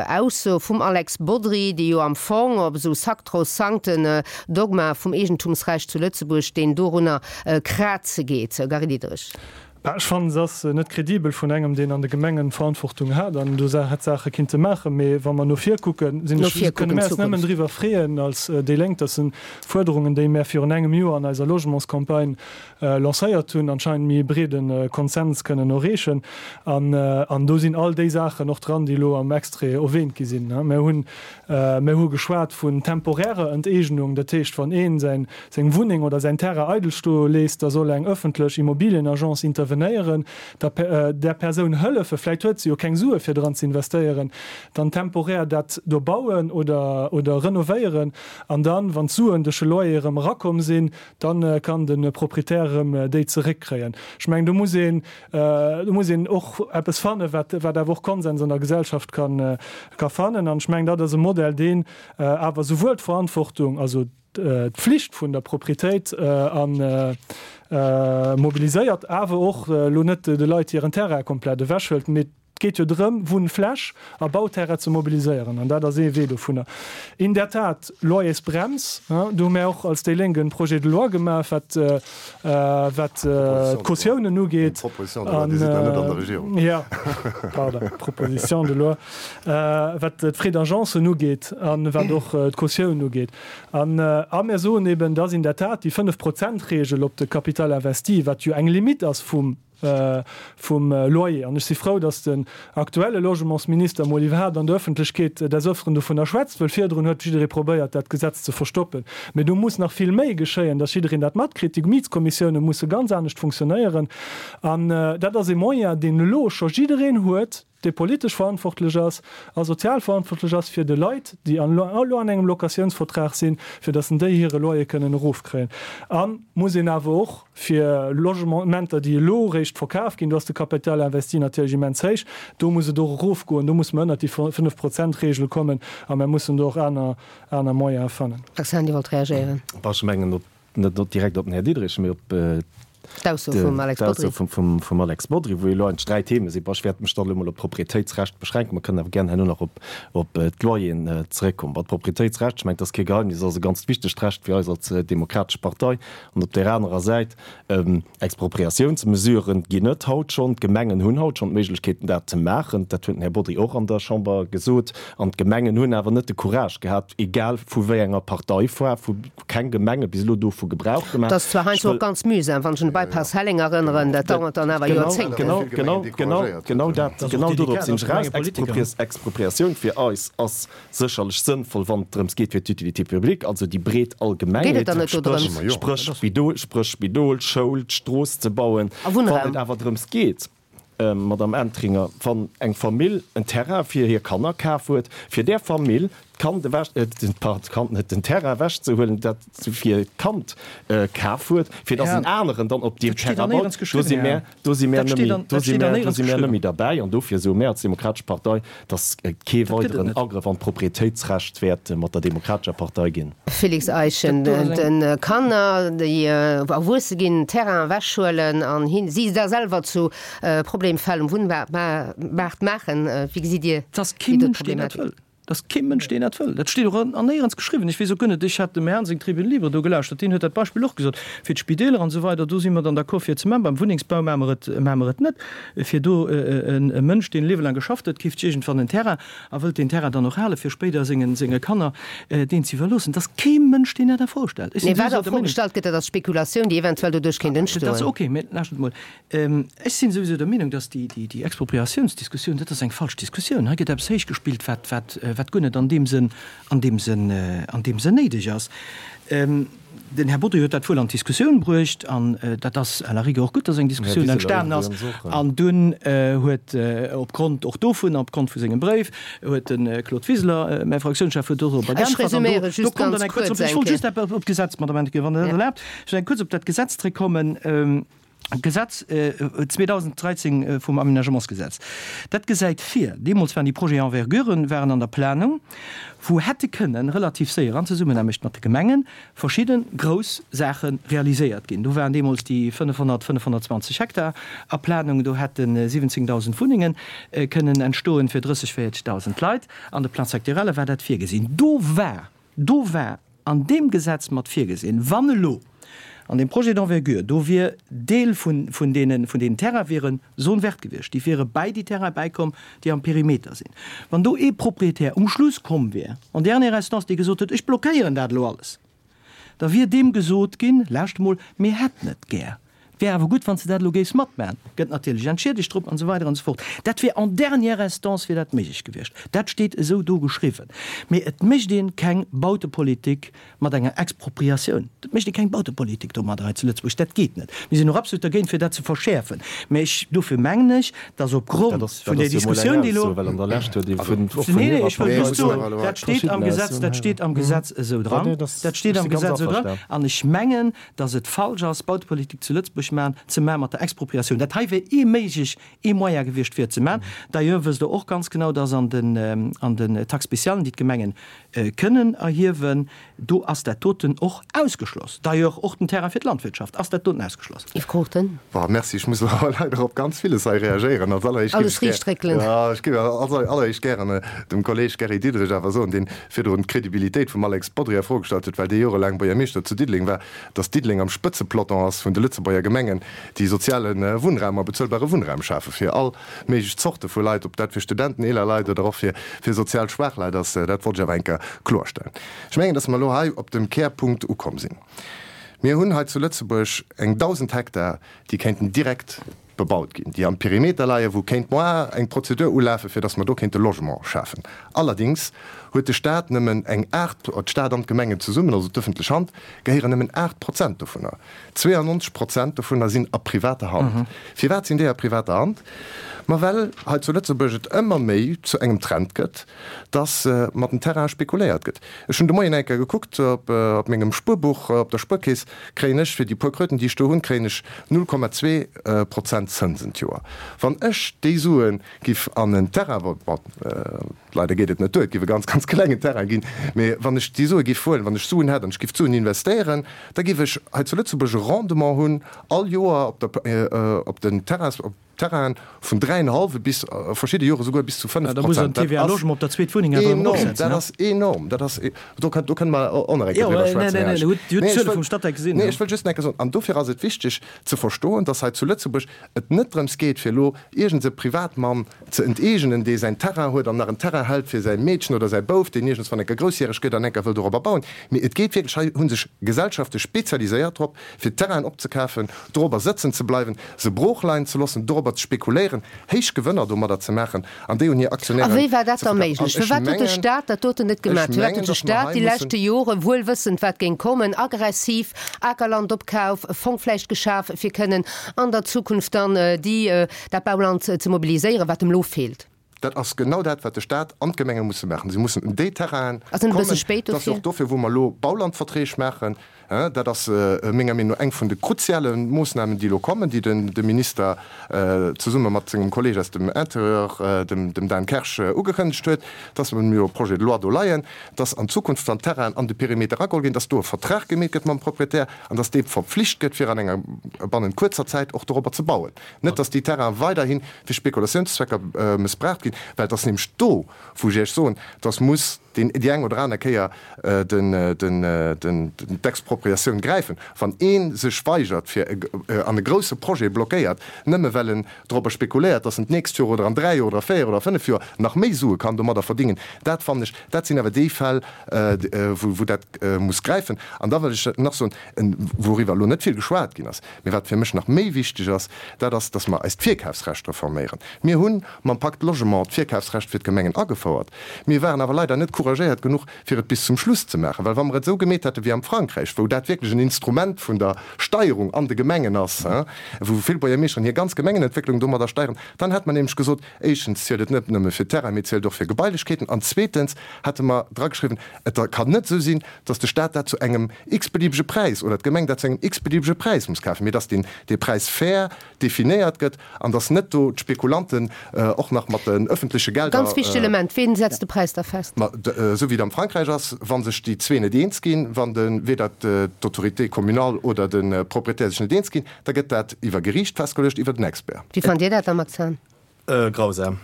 Ausso vum Alex Bodry, déi jo am Fong op esou sakrosankten Dogma vum Eegentumsrecht zu Lëtzebuerg, deen dorunner kraze geet. Gary Diderich. Bah, ech fannen, se ass net kredibel vun engem, deen an de Gemengen Verantwortung hat an do hätt Saache kinnte maachen. Mee wa mer no vir kucken, sinn ech, kënne mär eis nëmmen driwwer freeën als déi Lénk, dass en Fuerderungen, déi mär virun engem Joer an eiser Logementscampagne lancéiert hunn, anscheinend méi e breede Konsens kënnen erreechen. An do sinn all déi Saachen och dran, déi elo am Extrait erwähnt gi sinn. Mir hunn, mir hu geschwat vun temporärer Enteegnung, dat heescht, wann ee säin, seng Wunneng oder säin Terrain eidel stoe léisst, da soll eng ëffentlech Immobilienagence intervenéieren, der, där Persoun hëllefen, vläicht huet se jo keng Sue fir dran ze investéieren, dann temporär dat do bauen oder, oder renovéieren an dann, wann d'Suen duerch de Loyer erëm erakomm sinn, Dann kann de Proprietär erëm déi zeréckkréien. Ech mengen, do muss een, do muss een och eppes fannen, wat, wat awer och Konsens an der Gesellschaft kann, ka fannen. An ech mengen, dat ass e Modell, deen awer souwuel d'Verantwortung, also d'Pflicht vun der Proprietéit a mobiliséiert, awer och elo net de Leit hiren Terrain komplett ewechhëlt, mee. Et geet jo drëm, Wunnfläch a Bauterrain ze mobiliséieren, an dat ass ee Wee dovunner. In der Tat, Loyersbrems, do hu mär och als déi Lénk e Projet de loi gemaach, wat wat d'Cautiounen ugeet. Proposition de loi, Dir sidd nach net an der Regierung. Jo, pardon, Proposition de loi, wat d'Frais d'agencen ugeet a wat och d'Cautioun ugeet. An a mär soen eben, dass in der Tat déi Fënnef-Prozent-Regel op de Capital investi, wat jo eng Limite ass vum, vum Loyer. An ech si frou, dass den aktuelle Logementsminister emol iwwerhaapt an der Öffentlechkeet des Öfteren dovunner schwätzt, wëll virdrun huet jidderee probéiert, dat Gesetz ze verstoppen. Mee do muss nach vill méi geschéien, dass jiddereen dat matkritt. Déi Mietskommissioune musse ganz anescht funktionéieren. An dat ass e Moyen, deen elo scho jiddereen huet, dee politesch verantwortlech ass a sozial verantwortlech ass fir de Leit, déi elo an engem Locatiounsvertrag sinn, fir datt en déi hire Loyer kënnen erofkréien. A muss een awer och fir Logementer, déi elo eréischt verkaf ginn, do ass de Capital investi natierlech immens héich, do muss et och erofgoen, do muss mer ënnert déi Fënnef-Prozent-Regel kommen a mer mussen do och aner, aner Moyene fannen. Roxane, Dir wollt reagéieren. Ech mengen, op net direkt op den Här Diderich, mee op d'Ausso vum Alex Bodry. D'Ausso vum Alex Bodry, wou elo eigentlech 3 Theme sinn. Bon, ech wäert mech dann elo mol op d'Proprietéitsrecht beschränken. Mer kënnen awer gären herno nach op d'Loyeren zeréckkommen. Bon, d'Proprietéitsrecht, ech mengen, et ass kee Geheimnis, ass e ganzt wichtegt Recht fir eis als Demokratesch Partei. An op där anerer Säit, Expropriatiounsmesuren ginn et haut schonn. D'Gemengen hunn haut schonn d'Méiglechkeeten, dat ze maachen. Dat huet den Här Bodry och an der Chamber gesot. An d'Gemengen hunn awer net de Courage gehat, egal vu wéi enger Parteifaarf, vu keng Gemenge bis elo dovu Gebrauch gemaach. Dat ass zwar heiansdo och ganz mühsam, wann ech un de Bypass Helleng erënneren, dat dauert dann awer Joerzéngten. Genau, genau, genau, genau dat, genau dodrop sinn ech eraus. Expropriatioun fir eis ass sécherlech sënnvoll, wann et drëms geet fir d'Utilité publique, also déi breet Allgemengheet, spréch spréch Spidol, Schoul, d'Strooss ze bauen. Wann et awer drëms geet, Madamm Entringer, wann eng Famill en Terrain fir hir Kanner kaf huet, fir där Famill d'Kand ewech, pardon, d'Kand net, den Terrain ewechzehuelen, dat se fir d'Kand kaf huet, fir datt en aneren dann op deem Terrain baut, do si mär, do si mär net méi, do si mär, do si mär net méi derbäi. An dofir soe mär als Demokratesch Partei, datt et kee weideren Agrëff an d'Proprietéitsrecht wäert mat der Demokratescher Partei ginn. Félix Eischen, De Kanner, déi erwuesse ginn, Terrain ewechhuelen an si da selwer zu Problemfäll um Wunnmaart maachen, wéi gesitt Dir déi do Problematik? Et ass kee Mënsch, deen dat wëll. Dat steet och an néierens geschriwwen. Ech weess och guer net, ech hat dem Här Seng Tribune libre do gelauschtert, deen huet dat Beispill och gesot, fir d'Spideeler an esou weider, do si mer dann d'accord fir et ze maachen, beim Wunnengsbau maache mer et, maache mer et net. Fir do e Mënsch, deen e Liewe laang geschafft huet, keeft sech iergendwann en Terrain a wëllt deen Terrain dann och halen, fir spéider sengen, senge Kanner deen ze iwwerloossen. Et ass kee Mënsch, deen dat a Fro stellt. Ech sinn Mee wat souwisou a der Fro Meenung. gestallt gëtt, dat ass d'Spekulatioun, déi eventuell doduerch kéint Dat ass entstoen. ok, mä lauschtert emol, Ech sinn souwisou der Meenung, dass déi Expropriatiounsdiskussioun, dat ass eng falsch Diskussioun. Hei gëtt eppes héichgespillt, wat, wat, wat guer net an deem Sënn, an deem Sënn, an deem Sënn néideg ass. Den Här Bodry huet dat wuel an d'Diskussioun bruecht an dat ass à la rigueur och gutt, dass eng Diskussioun entstanen ass. An dunn huet opgrond och dovun, opgrond vu sengem Bréif, huet de Claude Wiseler, mäi Fraktiounschef, huet dorobber Ech geäntwert. An do, resuméiere do just koum dann ganz eng kuerz, kuerz ech eng wollt Kéier. just op d'Gesetz, Madame Hennequin, wann Der dat erlaabt, ech wëll eng kuerz op dat Gesetz zréckkommen. D'Gesetz 2013 vum Aménagementsgesetz, dat gesäit vir, deemools waren déi Projets envergure waren an der Planung, wou hätte kënnen relativ séier an Zesummenaarbecht mat de Gemengen verschidde grouss Saache realiséiert ginn. Do waren deemools déi 500, 520 Hektar a Planung, do hätte 17.000 Wunnenge kënnen entstoen fir 30, 40.000 Leit. An de Plan-sectorielle war dat virgesinn. Do war, do war an deem Gesetz mat virgesinn, wann elo an deem Projet d'envergure do wier Deel vun, vun deenen, vun deenen Terraine wiere Zone verte gewiescht, déi wiere bäi déi Terraine bäikomm, déi am Perimeter sinn. Wann do ee Propriétaire um Schluss komm wier, en dernière instance, dee gesot huet, ech blockéieren dat elo alles, da wier deem gesot ginn, lauscht emol, mir hätten et gär, Et wär awer gutt, wann s de dat elo géifs matmaachen. Gëtt natierlech entschiedegt drop an esou weider an esou fort. Dat wär en dernière instance wier dat méiglech gewiescht. Dat steet esou do geschriwwen. Mee et mécht ee keng Bautepolitik mat enger Expropriatioun. Et mécht ee keng Bautepolitik domadder hei zu Lëtzebuerg. Dat geet net. Mir sinn och absolut dergéint, fir dat ze verschäerfen. Mee ech, dofir mengen ech, dass opgrond vun där Diskussioun, déi elo. Nee, nee, ech wëll just soen, dat steet am Gesetz, dat steet am Gesetz esou dran. Dat steet am Gesetz esou dran. An ech mengen, dass et falsch ass, Bautepolitik zu Lëtzebuerg. méiglech maachen, ze maachen mat der Expropriatioun. Dat hei wär ee méiglech, ee Moyen gewiescht fir et ze maachen. D'ailleurs wësst Der och ganz genau, dass an den, an den Taxes spéciales, déi d'Gemengen kënnen erhiewen, do ass dat doten och ausgeschloss. D'ailleurs och den Terrain fir d'Landwirtschaft ass dat doten ausgeschloss. Yves Cruchten. Bon, merci. Ech muss elo leider op ganz villes hei reagéieren. Als alleréischt géif Alles ech gär, riicht réckelen. jo, ech géif als alleréischt gären dem Kolleeg Gary Diderich awer soen, deen virdrun d'Credibilitéit vum Alex Bodry a Fro gestallt huet, well dee jorelaang Buergermeeschter zu Diddeleng war, dass Diddeleng am Spëtzepeloton ass vun de Lëtzebuerger Gemengen, déi soziale Wunnraum a bezuelbare Wunnraum schafe fir all méiglech Zorte vu Leit, ob dat fir Studenten, eeler Leit oder och fir sozial schwaach Leit ass. Dat wollt ech awer eng Kéier kloerstellen. Ech mengen, dass mer elo hei op dem Kärpunkt ukomm sinn. Mir hunn hei zu Lëtzebuerg eng 1.000 Hektar, déi kéinten direkt bebaut ginn, déi am Perimeter leien, wou kéint moar eng Prozedur ulafen, fir dass mer do kéinte Logement schafen. Allerdings huet de Stat nëmmen eng 8, d'Stad an d'Gemengen zesummen, also d'ëffentlech Hand, gehéieren nëmmen 8 Prozent dovunner. 92 Prozent dovunner sinn a privater Hand. Firwat sinn déi a privater Hand? Ma well hei zu Lëtzebuerg et ëmmer méi zu engem Trend gëtt, dass mat den Terrainen spekuléiert gëtt. Ech hunn de Moien eng Kéier gekuckt op mengem Spuerbuch, op der Spuerkeess kréien ech fir déi puer Kröten, déi ech do hunn, kréien ech 0,2 Prozent Zënsen d'Joer. Wann ech déi Sue giff an en Terrain, bon, leider geet et net duer, et giff e ganz, ganz klengen Terrain ginn, mee wann ech déi Sue giff huelen, wann ech Suen hätt an ech giff d'Suen investéieren, da giff ech hei zu Lëtzebuerg e Rendement hunn all Joer op der, op den Terrains, op Terrainen vun dräienhallwe bis a verschidde Jore souguer bis zu 5 Prozent. Dat ass enorm, dat ass enorm, dat ass, do kënn, do kënne mer och nach eng Kéier driwwer schwätzen, Här Esch. Nee, ech wëll, nee, ech wëll just nach eng Kéier soen, an dofir ass et wichteg ze verstoen, dass hei zu Lëtzebuerg et net drëms geet, fir elo iergend e Privatmann ze enteegenen, dee säin Terrain huet an nach en Terrain hält fir säi Meedchen oder säi Bouf, deen iergendswann eng Kéier groussjäreg gëtt an eng Kéier wëll dorobber bauen, mee et geet wierklech, hei hu sech Gesellschafte spezialiséiert drop, fir Terrainen opzekafen, dorobber sëtzen ze bleiwen, se brooch leien ze loossen, dorobber ze spekuléieren, héich Gewënner domadder ze maachen an déi un hir A Aktionären wéi war dat ze da verkafen. méiglech? An ech Firwat huet de mengen, Stat dat doten net ech gemaach? Firwat mengen, huet de datt mer Stat hei déi mussen. leschte Jore, wuel wëssend wat géing kommen, aggressiv Akerlandopkauf, Fong vläicht geschaf, fir kënnen an der Zukunft dann déi, dat Bauland ze mobiliséieren, wat em elo feelt? Dat ass genau dat, wat de Stat an d'Gemenge musse maachen. Si mussen un déi Terrainen Ass net e kommen. bësse spéit Dat ass jo dofir? och dofir, wou mer elo Baulandverträg maachen. Dat ass menger Meenung no eng vun de kruziale Moossnamen, déi elo kommen, déi de Minister zesumme mat sengem Kolleeg aus dem Interieur, dem Dan Kersch, ugekënnegt huet, dass mer jo e Projet de loi do leien, dass an Zukunft, wann Terrainen an de Perimeter erageholl ginn, dass do e Vertrag gemeet gëtt mam Proprietär an dass dee verpflicht gëtt, fir an enger bannent kuerzer Zäit och dorobber ze bauen. Net, dass déi Terrainen weiderhi fir Spekulatiounszwecker mëssbraucht ginn, well et ass nämlech do, wou ech Iech soen, dass muss deen déi eng oder aner Kéier den, den, den, d'Expropriatioun gräifen. Wann ee sech weigert, fir e an e grousse Projet blockéiert, nëmme well en dorobber spekuléiert, dass en d'nächst Joer oder an dräi Joer oder véier oder fënnef Joer nach méi Sue kann domadder verdingen, dat fannen ech, dat sinn awer déi Fäll, wou, wou dat muss gräifen. An da wëll ech nach soen, wouriwwer elo net vill geschwat ginn ass, Mee wat fir mech nach méi wichteg ass, dat ass, dass mer eist Virkafsrecht reforméieren. Mir hu mam Pacte Logement d'Virkafsrecht fir d'Gemengen agefouert. Mir waren awer leider net couragéiert genuch, fir et bis zum Schluss ze maachen. Well wa mer et esou gemeet hätte wéi am Frankräich, wou dat wierklech en Instrument vun der Steierung an de Gemengen ass, wou vill Buergermeeschteren hir ganz Gemengenentwécklung domadder steieren, dann hätte mer nämlech gesot, éischtens zielt et net nëmme fir Terrain, mee zielt och fir Gebailechkeeten an zweetens hätte mer drageschriwwen, et kann net esou sinn, dass de Stat dat zu engem x-beliebege Präis oder d'Gemeng dat zu engem x-beliebege Präis muss kafen, mee dass deen dee Präis fair definéiert gëtt an dass net do d'Spekulanten och nach mat den öffentleche Gelder. Ganz wichtegt Element, Ween setzt de Präis da fest? Ma esou wéi et am Frankräich ass, wa sech déi zwee net eens ginn, wann de weder d'Autorité communale oder de Propriétaire sech net eens ginn, da gëtt dat iwwer Geriicht festgeluecht, iwwer den Expert. Wéi fannt Dir dat da, Max Hahn? Grausam.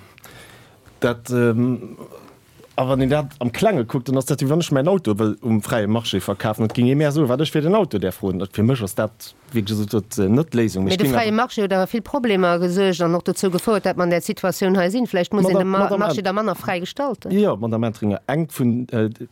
Dat, a wann een dat am Klenge kuckt, dann ass dat wéi wann ech mäin Auto wëll um fräie Marché verkafen. Et géing ee mär soen, wat ech fir den Auto däerf froen. Fir mech ass dat, wéi gesot, net d'Léisung. Mee de fräie Marché huet awer vill Problemer gesuergt an och dozou gefouert, dat mer an där Situatioun hei sinn. Vläicht muss een de Marché da manner fräi gestalten. Jo, Madame Entringer, eng vun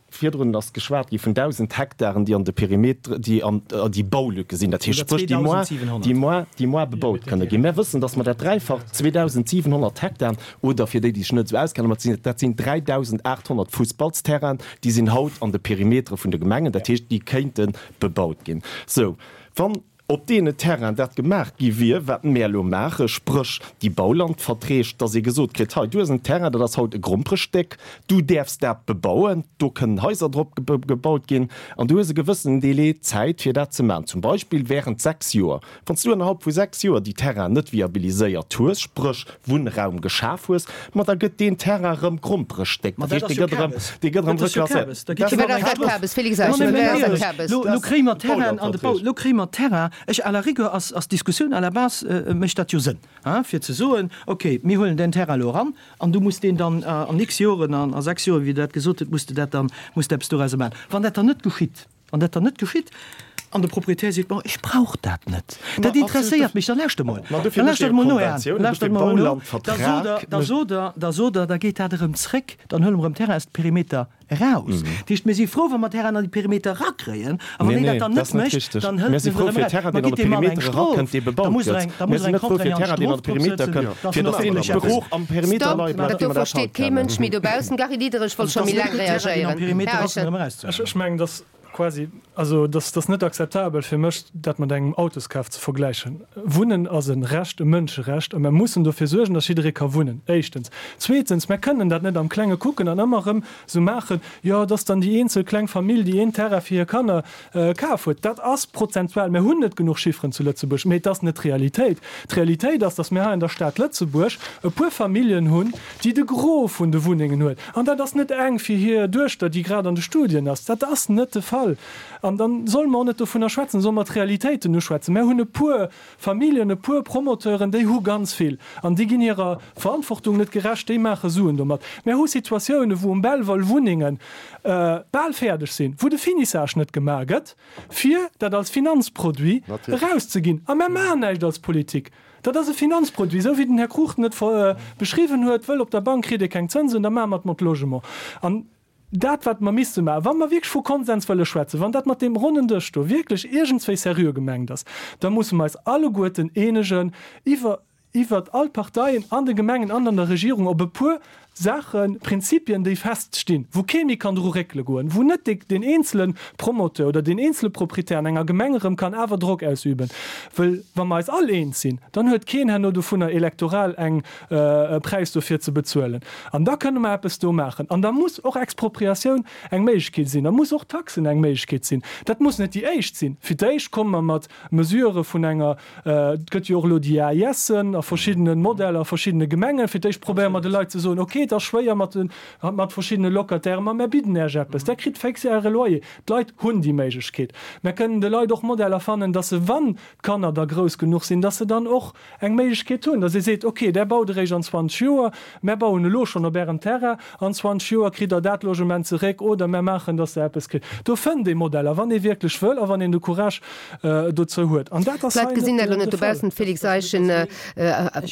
Virdrun ass geschwat gi vun 1.000 Hektaren, déi an de Perimeter, déi an déi Baulücke sinn, dat heescht spréch déi moar, déi moar, déi moar bebaut kënne ginn. Mär wëssen, datt mer dat Dräifacht, 2.700 Hektaren, oder fir déi, déi sech net esou auskennen, mat sinn, dat sinn 3.800 Fussballsterrainen, déi sinn haut an de Perimetere vun de Gemengen, dat heescht déi kéinte bebaut ginn. Sou, wann. Op deene Terrainen dat gemaach gi wier, wat mär elo maachen, spréch déi Baulandverträg, dass ee gesot kritt, hei du hues en Terrain, dat ass haut e Gromperestéck, du däerfs dat bebauen, do kënnen Haiser drop gebaut ginn an du hues e gewëssenen Délai Zäit fir dat ze maachen, zum Beispill während 6 Joer. Wann s du ënnerhalb vu 6 Joer déi Terrainen net viabiliséiert hues, spréch Wunnraum geschaf hues, ma da gëtt deen Terrain erëm Gromperestéck. Dat heescht, dee gëtt erëm, dee gëtt erëm reklasséiert. Lo kréie mer Terrainen an de Bau, lo kréie mer Terrain. Ech, à la rigueur ass, ass d'Diskussioun à la base mécht dat jo Sënn, hein, fir ze soen, okay, mir huelen deen Terrain elo eran an du muss deen dann an x Joren, an a 6 Joren, wéi Der dat gesot hutt, muss de dat dann, muss de eppes dorauser maachen. Wann dat dann net geschitt, Wann dat dann net geschitt an de Proprietär seet, Bon, ech brauch dat net, dat interesséiert mech, da lauschtert emol, da lauschtert emol no, Här Hahn, lauschtert emol no, da sot Der, da sot Der, da sot Der, da geet dat erëm zréck, dann huele mer erëm Terrain aus de Perimeter eraus. Dat heescht, mir si frou, wa mer Terrain an déi Perimeter erakréien, a wann een dat dann net mécht, dann hëlt en se erëm eraus. Ma gitt deem Mann eng Strof, da muss er eng, da muss er eng contraignant Strof drop sëtzen, dass en och wierklech eppes. Stop, dat do versteet kee Mënsch méi dobaussen. Gary Diderich wollt scho méi laang reagéieren. Här Eischen. Ech mengen, dass quasi, also dass ass net akzeptabel fir mech, dat mat engem Autoskaf ze vergläichen. Wunnen ass e Recht, e Mënscherecht, a mer mussen dofir suergen, dass jidderee ka wunnen, éischtens. Zweetens, mer kënnen dat net am Klenge kucken an ëmmer erëm esou maachen, jo, et ass dann déi eenzel kleng Famill, déi een Terrain fir hir Kanner kaf huet. Dat ass prozentual, mer hunn net genuch Chifferen zu Lëtzebuerg, mee et ass net d'Realitéit. D'Realitéit ass, dass mir hei an der Stad Lëtzebuerg e puer Familljen hunn, déi de Gros vun de Wunnengen huet, an dat ass net eng fir hir Duechter, déi grad an de Studien ass, dat ass net de Fall. An da solle mer och net dovunner schwätzen, solle mer d'Realitéiten uschwätzen. Mär hunn e puer Familljen, e puer Promoteuren, déi hu ganz vill an déi ginn hirer Verantwortung net gerecht, déi maache Suen domat. Mär hu Situatiounen, wou um Belval Wunnenge bal fäerdeg sinn, wou de Finissage net gemaach gëtt, fir dat als Finanzproduit erauszeginn. A mär maachen näischt als Politik. Dat ass e Finanzproduit, esou wéi den Här Cruchten et beschriwwen huet, wëll op der Bank kritt ee keng Zënsen, da maache mer et mat Logement. An dat, wat mer misste maachen, wa mer wierklech vu Konsens wëlle schwätzen, wann dat mat deem ronnen Dësch do wierklech iergendswéi seriö gemengt ass, da musse mer eis alleguerten eenegen iwwer, iwwert all d'Parteien an de Gemengen an an der Regierung op e puer Saachen, Prinzipien, déi feststinn, wou kee méi kann dru réckele goen, wou net deen eenzele Promoteur oder deen eenzele Proprietär an enger Gemeng erëm kann awer Drock ausüben. Wëll wa mer eis all eens sinn, dann huet keen herno dovunner elektoral eng e Präis dofir ze bezuelen. An da kënne mer eppes do maachen. An da muss och Expropriatioun eng Méiglechkeet sinn. Da muss och Taxen eng Méiglechkeet sinn. Dat muss net déi éischt sinn. Fir d'éischt komme mer mat Mesurë vun enger Et gëtt jo och elo déi AISen a verschiddene Modeller a verschiddene Gemengen. Fir d'éischt probéiere mer de Leit ze soen, okay, et ass schwéier mat de mat verschiddene Locatairen, ma mär bidden Äech eppes, där kritt fix Äre Loyer. D'Leit hunn déi Méiglechkeet. Mär kënnen de Leit och Modeller fannen, dass se, wann d'Kanner da grouss genuch sinn, dass se dann och eng Méiglechkeet hunn, dass ee seet, okay, där baut eréischt an 20 Joer, mär bauen elo schonn op Ärem Terrain, an 20 Joer kritt Der dat Logement zeréck oder mär maachen, dass Der eppes kritt. Do fënnt ee Modeller, wann ee wierklech wëll a wann een de Courage dozou huet. An dat ass hei net de Fall. D'Leit gesinn dat elo net dobaussen. Félix Eischen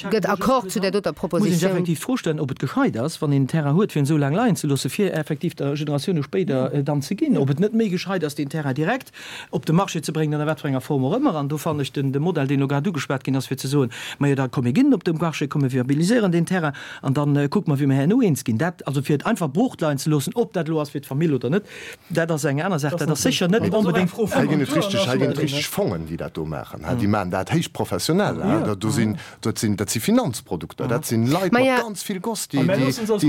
gëtt Accord zu där doter Muss een sech Propositioun. effektiv d'Fro stellen, ob et gescheit ass, wann een en Terrain huet, fir en esou laang leien ze loossen, fir effektiv der Generatioune spéider dann ze ginn. Ob et net méi gescheit ass, deen Terrain direkt op de Marché ze bréngen, an a wat fir enger Form och ëmmer. An do fannen ech den Modell, deen elo grad ugeschwat ginn ass, fir ze soen, Majo, da komm mir ginn en op de Marché, komm mir viabiliséieren deen Terrain an da kucke mer, wéi mer herno eens ginn. Dat also fir et einfach broochleien ze loossen, ob dat elo ass fir d'Famill oder net, Dat ass eng aner Saach. Dat ass sécher net onbedéngt. Hei ginn et richteg, hei ginn et richteg Fongen, déi dat do maachen. Déi maachen dat héich professionell. Do sinn, dat sinn, dat si Finanzprodukter, dat sinn Leit mat ganz vill Goss, déi, déi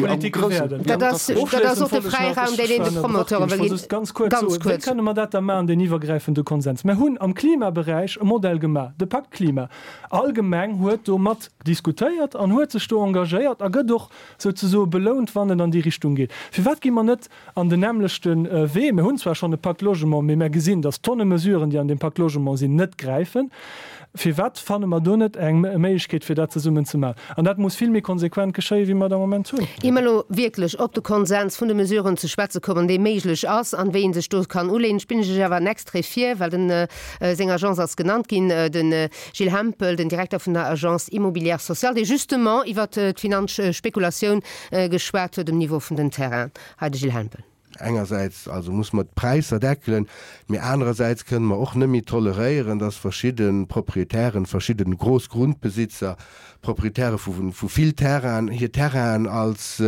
am groussen. Dat ass, dat ass och de Fräiraum, deen een de Promoteure wëll ginn. Ganz kuerz soen, wéi kënne mer dat da maachen, deen iwwergräifende Konsens? Mer hunn am Klimaberäich e Modell gemaach, de Pakt Klima. All Gemeng huet do mat diskutéiert an huet sech do engagéiert a gëtt och souzesoe belount, wann et an déi Richtung geet. Firwat gi mer net An den nämmlechte Wee. Mir hunn zwar schonn e Pacte Logement, mee mir gesinn, dass Tonne Mesuren, déi an deem Pacte Logement sinn, net gräifen. Firwat fanne mer do net eng Méiglechkeet, fir dat zesummen ze maachen? An dat muss vill méi konsequent geschéien, wéi mer et am Moment hunn. Ier mer elo wierklech op de Konsens vun de Mesuren ze schwätze kommen, dee méiglech ass an wéi ee sech do kann uleeën, spillen ech lech awer en Extrait vir, well den, seng Agence ass genannt ginn, de Gilles Hempel, den Direkter vun der Agence immobilière sociale, dee justement iwwert d'Finanzspekulatioun geschwat huet um Niveau vun den Terrainen. Hei de Gilles Hempel. Engersäits also muss mer d'Präisser deckelen, mee anerersäits kënnen mer och net méi toleréieren, dass verschidde Proprietären, verschidde grouss Grundbesitzer, Proprietäre vu vill Terrainen, hir Terrainen als,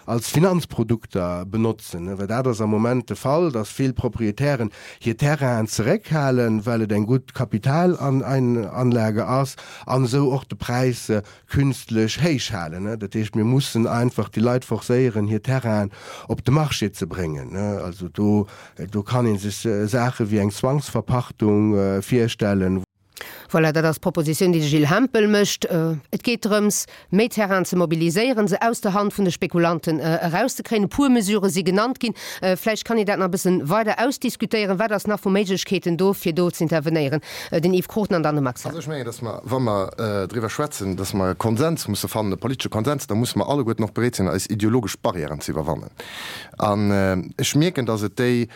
als Finanzprodukter benotzen. Well dat ass am Moment de Fall, dass vill Proprietären hir Terrainen zeréckhalen, well et eng gutt Kapitalanlage ass, an esou och de Präis künstlech héich halen. Dat heescht, mir mussen einfach déi Leit forcéieren, hir Terrainen op de Marché ze bréngen. Also do, do kann ee sech Saache wéi eng Zwangsverpachtung virstellen. Voilà, dat ass d'Propositioun, déi de Gilles Hempel mécht. Et geet drëms, méi Terrainen ze mobiliséieren, se aus der Hand vun de Spekulanten erauszekréien. E puer Mesurë si genannt ginn. Vläicht kann een dat nach e bëssen weider ausdiskutéieren. Wat ass nach vu Méiglechkeeten do, fir do z'intervenéieren? Den Yves Cruchten an dann de Max Hahn. Also ech mengen, datt mer, wa mer driwwer schwätzen, datt mer e Konsens musse fannen, e politesche Konsens, da musse mer alleguerten och bereet sinn, eis ideologesch Barrièren ze iwwerwannen. An ech mierken, datt et déi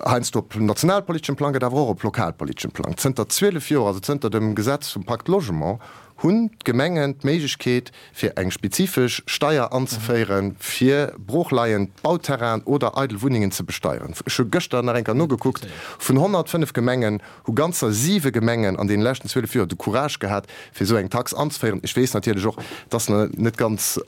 heiansdo op nationalpoliteschem Plang gëtt, awer och op lokalpoliteschem Plang. Zënter 12 Joer, also zënter dem Gesetz vum Pacte Logement, hunn d'Gemengen d'Méiglechkeet, fir eng spezifesch Steier anzeféieren, fir broochleiend Bauterrainen oder eidel Wunnengen ze besteieren. Ech hu gëschter nach eng Kéier nogekuckt, Vun 105 Gemengen hu ganzer siwe Gemengen an deene leschten 12 Joer de Courage gehat, fir esou eng Tax anzeféieren. Ech weess natierlech och, et ass net ganz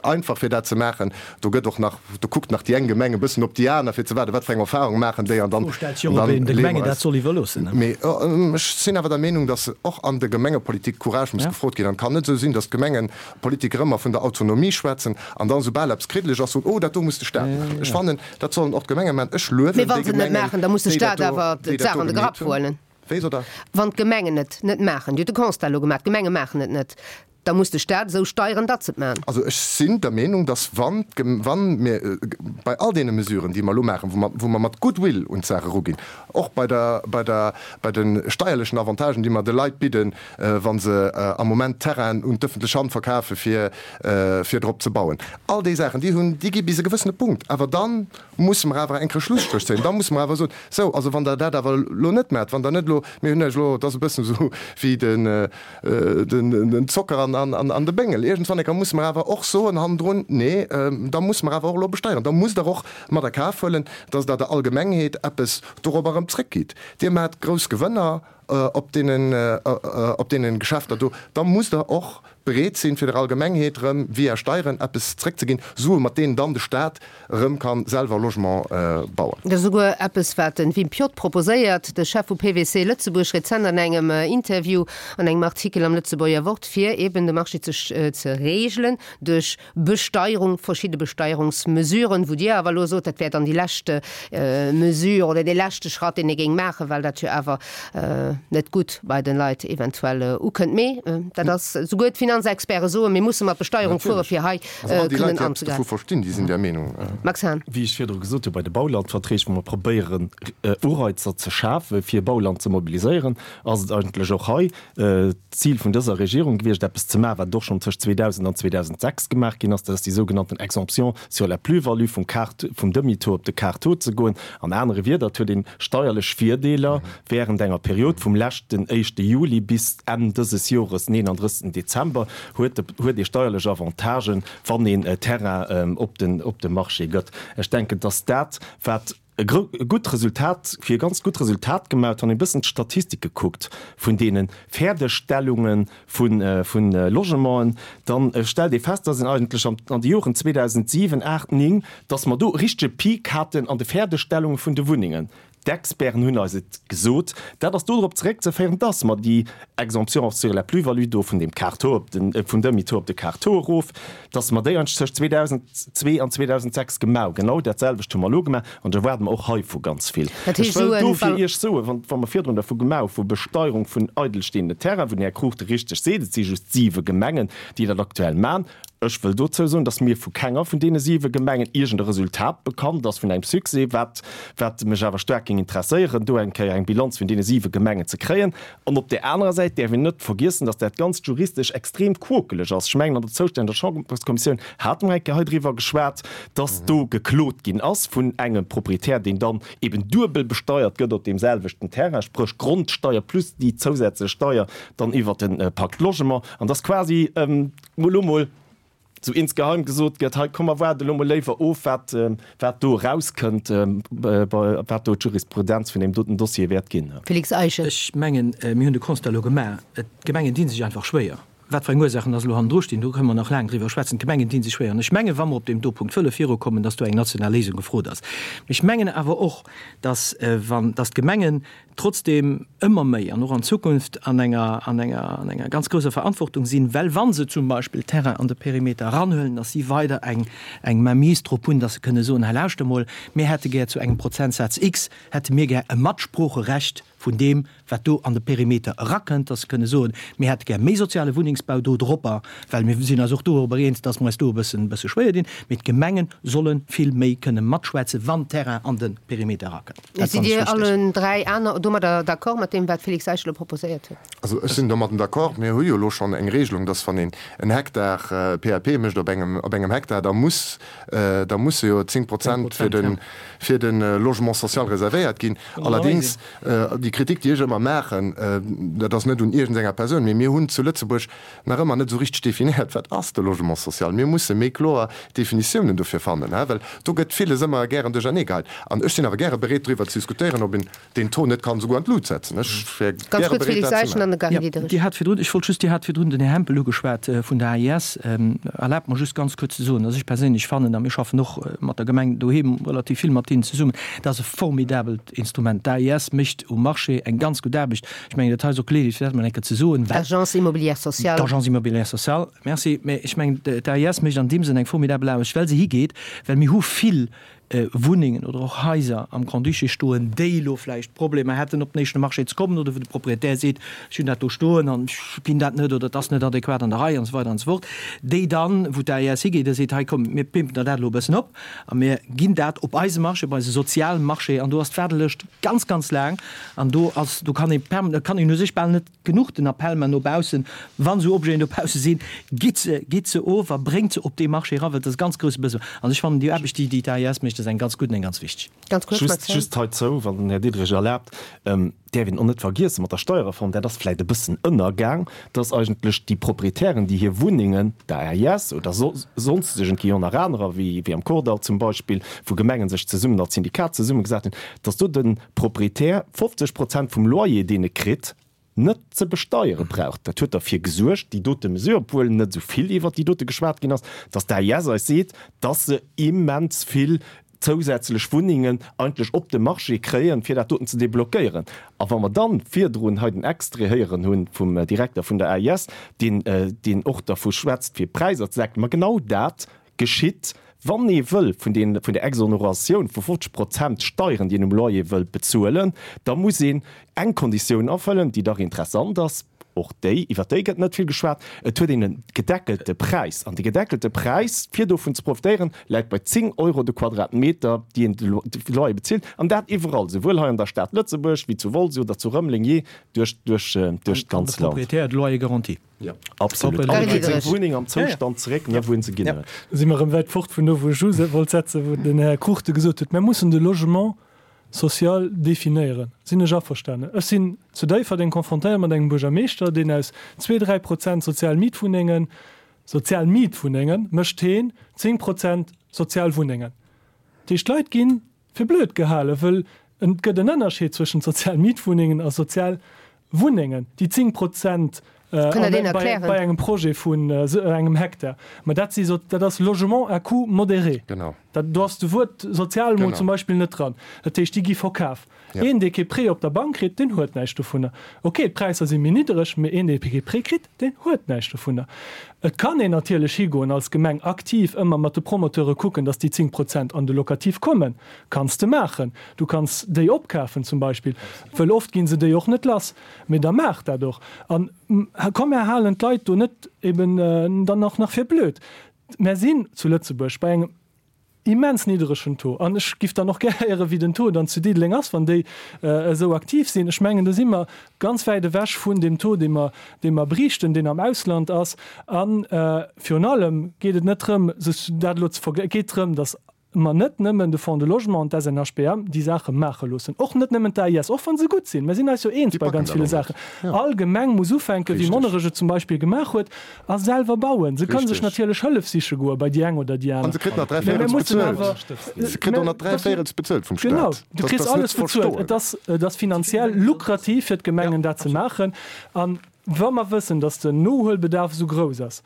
einfach, fir dat ze maachen. Do gëtt och nach, do kuckt nach déi eng Gemeng e bëssen op déi aner, fir ze waarden, wat fir eng Erfahrung maachen déi an dann, D'Fro stellt sech och, ob een de Gemengen dat soll iwwerloossen. Mee ech sinn awer der Meenung, datt och an der Gemengepolitik Courage muss gefrot ginn. An et kann net esou sinn, datt d'Gemengepolitiker ëmmer vun der Autonomie schwätzen an dann, soubal eppes kriddeleg ass, soen, oh, dat do muss de Staat maachen. Ech fannen, dat sollen och d'Gemenge maachen. Ech luewen déi Gemengen, déi dat do, déi dat do gemeet hunn. Mee wa se et net maachen, da muss de Staat awer d'Saach an de Grapp huelen. Wéi sot Der? Wann d'Gemengen et net maachen, Dir hutt de Constat elo gemaach, d'Gemenge maachen et net, da muss de Staat esou steieren, datt se et maachen. Also ech sinn der Meenung, datt wann wann mir bei all deene Mesuren, déi mer elo maachen, wou mer wou mer mat Goodwill un d'Saach eruginn, och bei der bei der bei de steierlechen Avantagen, déi mer de Leit bidden, wa se am Moment Terrainen un d'ëffentlech Hand verkafe fir fir drop ze bauen, all déi Saachen, déi hunn déi gi bis e gewëssene Punkt, awer da musse mer awer eng Kéier Schlusstréch zéien, da musse mer awer soen, Sou, also wann Der dat awer elo net maacht, wann Der net elo, mir hunn Iech elo, et ass e bëssen esou wéi den, den Zocker an de Béngel, iergendwann eng Kéier musse mer awer och soen hannendrun, nee, da musse mer awer och elo besteieren, da musst Der och mat a Kaf huelen, dass Der der Allgemengheet eppes dorobber erëm zrëckgitt. Dir maacht grouss Gewënner op deenen, op deenen Geschäfter do, da musst Der och bereet sinn, fir der Allgemengheet erëm via Steieren eppes zréckzeginn, Sue mat deenen dann de Staat erëm ka selwer Logement bauen. Dat ass esouguer eppes, wat de Wim Piot proposéiert, de Chef vu PwC Lëtzebuerg, rezent an engem Interview an engem Artikel am Lëtzebuerger Wort, fir eben de Marché ze regelen duerch Besteierung, verschidde Besteierungsmesuren, wou Dir awer elo sot, dat wär dann déi lescht Mesure oder dee leschte Schratt, deen ee géing maachen, well dat jo awer net gutt bei de Leit eventuell ukënnt. Mee dat ass, souguer d'Finanzexperte soen, mir musse mat Besteierung fuere fir hei kënnen anzegräifen. Max Hahn. Wéi ech virdru gesot hu bei de Baulandverträg, wou mer probéieren Ureizer ze schafe fir Bauland ze mobiliséieren, ass et eigentlech och hei d'Zil vun dëser Regierung gewiescht, eppes ze maachen, wat och schonn tëscht 2000 an 2006 gemaach ginn ass, dat ass déi sougenannten Exemption sur la plus-value, vum Quart, vum Demi-taux op de Quart-taux ze goen. An anere Wieder, et huet een steierlech Virdeeler während enger Period vum leschten éischte Juli bis Enn dëses Jores, den 31. Dezember, huet de, huet ee steierlech Avantagen, wann een Terrain op den, op de Marché gëtt. Ech denken, dass dat, wat e gutt Resultat, fir e ganz gutt Resultat gemaach, wann een e bëssen d'Statistike kuckt vun deene Fäerdegstellunge vu Logementen, da stellt ee fest, dass een eigentlech an de Joren 2007, 8, 9, dass mer do e richtege Peak haten an de Fäerdegstellunge vun de Wunnengen. D'Experten hunn eis et gesot. Dat ass dodrop zeréckzeféieren, dass mer déi Exemption sur la plus-value do vun dem Quart taux op den, vum Demi-taux op de Quart taux erof, dass mer déi eigentlech tëscht 2002 an 2006 gemaach hunn. Genau dat selwecht hu mer elo gemaach an ech erwaarde mer och heivu ganz vill. Dat Ech heescht, wëll esou en dofir Iech soen, wann, wa mer virdrun dervu gemaach hu vu Besteierung vun eidelstehenden Terrainen, wou den Här Cruchten richteg seet, et si just siwe Gemengen, déi dat aktuell maachen, Ech wëll dozou soen, dass mir vu kenger vun deene siwe Gemengen iergend e Resultat bekannt ass vun engem Succès, wat, wat mech awer staark géing interesséieren, do eng Kéier eng Bilanz vun deene siwe Gemengen ze kréien. An op där anerer Säit däerf een net vergiessen, dass dat Ganzt juristesch extrem quokeleg ass. Ech mengen, an der zoustänneger Chamberskommissioun hate mer eng Kéier hei driwwer geschwat, dass do geklot ginn ass vun engem Proprietär, deen dann eben duebel besteiert gëtt op deem selwechten Terrain, spréch Grondsteier plus déi zousätzlech Steier dann iwwert de Pacte Logement. An dass quasi, elo mol. Sou insgeheim gesot gëtt, hei komm mer waarde lo mol léiwer of, wat, wat do erauskënnt, wat do d'Jurisprudenz vun deem doten Dossier wäert ginn. Félix Eischen. Ech mengen, mir hunn de Constat elo gemaach. D'Gemengen di sech einfach schwéier. Wat fir eng Ursaachen dass elo hannendru stinn, do kënne mer nach laang driwwer schwätzen. D'Gemengen di sech schwéier. An ech mengen, wa mer op deem do Punkt wëlle virukommen, dass do eng national Léisung gefrot ass. Mee ech mengen awer och, dass, wann, dass d'Gemengen trotzdem ëmmer méi an och an Zukunft an enger, an enger, an enger ganz grousser Verantwortung sinn, well wa se zum Beispill Terrain an de Perimeter eranhuelen, dass si weider eng, eng Mainmise drop hunn, dass se kënne soen, hei lauschter mol, mir hätte gär zu engem Prozentsaz X, hätte mir gär e Matsproocherecht vun deem, wat do an de Perimeter erakënnt, dass se kënne soen, mir hätte gär méi soziale Wunnengsbau do dropper, well mir sinn eis och dorobber eens, dass mer eis do e bëssen, e bësse schwéier dinn, mee d'Gemenge solle vill méi kënne matschwätzen, wann Terrain an de Perimeter erakënnt. Dat Sidd Dir allen 3 aner domadder d'accord mat deem, wat Félix Eischen elo proposéiert huet? Also ech sinn domadden d'accord. Mir hu jo elo schonn eng Regelung, dass wann een en Hektar PAP mécht op engem, op engem Hektar, da muss, da musse jo 10 Prozent fir de, fir de Logement social reservéiert ginn. Allerdéngs, déi Kritik, déi ech ëmmer maachen, dat ass net un iergendenger Persoun, mee mir hunn zu Lëtzebuerg nach ëmmer net esou richteg definéiert, wat ass de Logement social. Mir musse méi kloer Definitiounen dofir fannen, well do gëtt villes ëmmer gären duerchernee geheit. An ech sinn awer gäre bereet, driwwer ze diskutéieren, ob een deen Taux net kann esouguer an d'Lut setzen. Ech wär Ganz gäre kuerz, bereet, Félix dat ze Eischen an maachen. de Gary Jo, Diderich. Dir hat virdrun, ech wollt just, Dir hat virdrun den Här Hempel ugeschwat vun der AIS. Erlaabt mer just ganz kuerz ze soen, dass ech perséinlech fannen, a mir schaffen och mat der Gemeng doheem relativ vill mat hinnen zesummen, dat ass e formidabelt Instrument. D'AIS mécht um Marché eng ganz gutt Aarbecht. Ech mengen, dat hei ass och d'Geleeënheet, fir dat emol eng Kéier ze soen, well. D'Agence immobilière sociale. D'Agence immobilière sociale, merci. Mä ech mengen, d'AIS mécht an deem Sënn eng formidabel Aarbecht, well se higeet, well mir hu vill Wunnengen oder och Haiser am Grand-Duché stoen, déi elo vläicht Problemer hätten, op den éischte Marché ze kommen oder wou de Propriétaire seet, ech hunn dat do stoen an ech ginn dat net oder et ass net adequat an der Rei an esou weider an esou fort, déi dann, wou d'AIS higeet a seet, hei komm, mir pimpen der dat elo e bëssen op a mir ginn dat op eise Marché, op eise Sozialmarché an do ass d'Waardelëscht ganz, ganz laang an do ass, do kann ee permanent, kann een u sech bal net genuch den Appell man no baussen, wann esou Objeten dobausse sinn, gitt se, gitt se of a bréngt se op dee Marché eran, well dat ass e ganz grouse Besoin. An ech fannen déi Aarbecht, déi déi d'AIS mécht, ass eng ganz gutt an eng ganz wichteg. Ganz kuerz, Just, Max Hahn. just heizou, wann den Här Diderich erlaabt, däerf een och net vergiessen, mat der Steuerreform, dat ass vläicht e bëssen ënnergaang, dass eigentlech déi Proprietären, déi hir Wunnengen der AIS oder sonstegen, et gi jo nach anerer, wéi am Kordall zum Beispill, wou Gemengen sech zesummen als Syndikat zesummegesat hunn, dass do de Proprietär 50 Prozent vum Loyer, deen e kritt, net ze besteiere brauch. Dat huet derfir gesuergt, déi dote Mesure, obwuel net esou vill iwwert déi dote geschwat ginn ass, dass d'AIS eis seet, dass se immens vill zousätzlech Wunnengen eigentlech op de Marché kréien, fir dat doten ze deblockéieren. A wa mer dann virdrun hei den Extrait héieren hu vum Direkter vun der AIS, deen, deen och dervu schwätzt, fir d'Präisser ze decken, ma genau dat geschitt, wann ee wëll vun den, vun der Exoneratioun vu 50 Prozent Steieren, déi een um Loyer wëll bezuelen, da muss een eng Konditioun erfëllen, déi dach interessant ass, och déi, iwwer déi gëtt net vill geschwat, et huet een e gedeckelte Präis. An dee gedeckelte Präis, fir dovun ze profitéieren, läit bei 10 Euro de Quadratmeter, déi een de Loyer bezilt, an dat iwwerall, souwuel hei an der Stad Lëtzebuerg wéi zu Wolz oder zu Rëmeleng, jee duerch, duerch, duerch An de d'ganz Land. Propriétaire de Loyer garanti. Absolut. An e kritt seng Wunneng am Zoustand zeréck, ne, wou en se ginn huet. Do si mer erëm wäit fort vun do, wou ech u wollt setzen, wou den Här Cruchten gesot huet, Mir mussen de Logement social definéieren. Sinn ech averstanen. Ech sinn zu Déifferdeng confrontéiert mat engem Buergermeeschter, deen aus zwee, 3 Prozent sozial Mietwunnengen, sozial Mietwunnengen, mécht heen 10 Prozent sozial Wunnengen. Dat heescht, d'Leit ginn fir blöd gehalen, wëll et gëtt en Ënnerscheed zwëschent sozial Mietwunnengen a sozial Wunnengen, déi 10 Prozent bei engem Projet vun engem Hektar, mä dat si, dat ass Logement à coût modéré. Dat, do ass de Wuert sozial emol zum Beispill net dran. Dat heescht, déi gi verkaf. Een, dee kee Prêt op der Bank kritt, deen huet näischt dovunner. Okay, d'Präisser si méi niddereg, mä een, dee kee Prêt kritt, deen huet näischt dovunner. Et kann een natierlech higoen als Gemeng, aktiv ëmmer mat de Promoteure kucken, datt déi 10 Prozent an de Locatif kommen. Kanns de maachen. Du kanns déi opkafen zum Beispill, wëll oft gi se déi och net lass. Mee da maach dat och. An komm, mär halen d'Leit do net eben dann och nach fir blöd. Mär sinn zu Lëtzebuerg bei engem immens nidderegen Taux. An ech giff dann och gär héieren, wéi den Taux dann zu Diddeleng ass, wann déi esou aktiv sinn. Ech mengen, do si mer ganz wäit ewech vun deem Taux, dee mer, dee mer briichten, deen am Ausland ass. A virun allem geet et net drëm, sech dat elo ze vergl-, et geet drëm, datt. mer net nëmmen de Fonds de Logement an d'SNHBM déi Saache maache loossen, och net nëmmen d'AIS, och wa se gutt sinn. Mer sinn eis jo eens bei ganz ville Saachen. All Gemeng muss ufänken, wéi Monnerech et zum Beispill gemaach huet, a selwer bauen. Se kënne sech natierlech Hëllef siche goe bei déi eng oder déi aner. An se kritt nach dräivéierels bezuelt. Se kritt och nach dräivéierels bezuelt vum Staat. Genau, du kriss alles bezuelt. Et ass, et ass finanziell lukrativ fir d'Gemengen dat ze maachen. An wa mer wëssen, datt den Nohuelbedarf esou grouss ass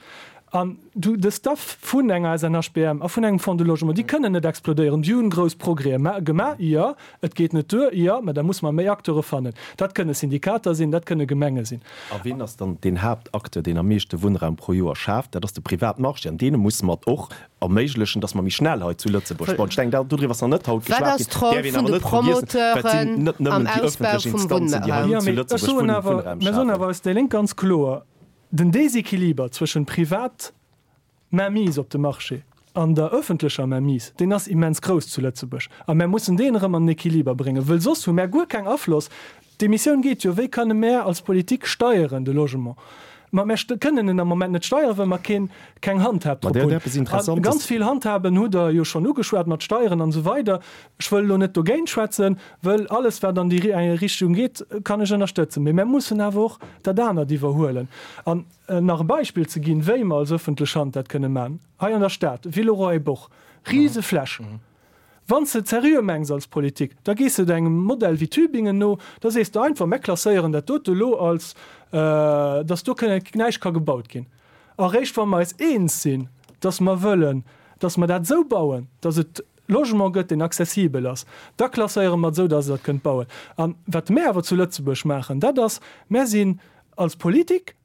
an du de Staff vun enger SNHBM a vun engem Fonds de Logement, déi kënnen net explodéieren, déi hunn grouss Progrèse gemaach, jo, et geet net duer, jo, mä da musse mer méi Acteure fannen. Dat kënne Syndikater sinn, dat kënne Gemenge sinn. A wien ass dann deen Haaptacteur, deen am meeschte Wunnraum pro Joer schaaft? Dat ass de Privatmarché. An deene musse mer et och erméiglechen, dass mer méi schnell hei zu Lëtzebuerg bauen. Ech denken, dodriwwer ass nach net haut Wat geschwat ass ginn. d'Roll Däerf een vun awer de net vergiessen, well et sinn Promoteuren net am nëmmen déi Ausbau öffentlech vum Instanzen, déi hei Wunnraum? Jo, zu mee ech Lëtzebuerg soen Wunn awer, Wunnraum mir soen schafen. awer als déi Lénk ganz kloer, Den Déséquiliber zwëschen privat Mainmise op de Marché an der öffentlecher Mainmise, deen ass immens grouss zu Lëtzebuerg. A mär mussen deen erëm an den Équiliber bréngen, wëll soss hu mär guer keng Afloss. D'Emissioun geet jo, wéi kënne mär als Politik steieren de Logement? Ma mär kënnen en am Moment net steieren, well mer keen, keng Handhab Ma drop der huet hunn. eppes A Interessantes. ganz vill Handhaben hutt Der jo schonn ugeschwat, mat Steieren an esou weider. Ech wëll elo net dogéint schwätzen, wëll alles, wat an déi Richtung geet, kann ech ënnerstëtzen. Mee mär mussen awer och dat anert iwwerhuelen. An nach e Beispill ze ginn, wéi mer als öffentlech Hand dat kënne maachen, hei an der Stad, Villeroy-et-Boch, Risefläch. Wann s de et seriö mengs als Politik, da gees de engem Modell wéi Tübingen no, da sees de einfach, Mär klasséieren dat dote elo als, dass do näischt ka gebaut ginn. A réischt wa mer eis eens sinn, dass mer wëllen, dass mer dat esou bauen, dass et Logement gëtt, deen accessibel ass, da klasséiere mer et esou, dass Der et kënnt bauen. A wat mär awer zu Lëtzebuerg maachen, dat ass, mär sinn als Politik,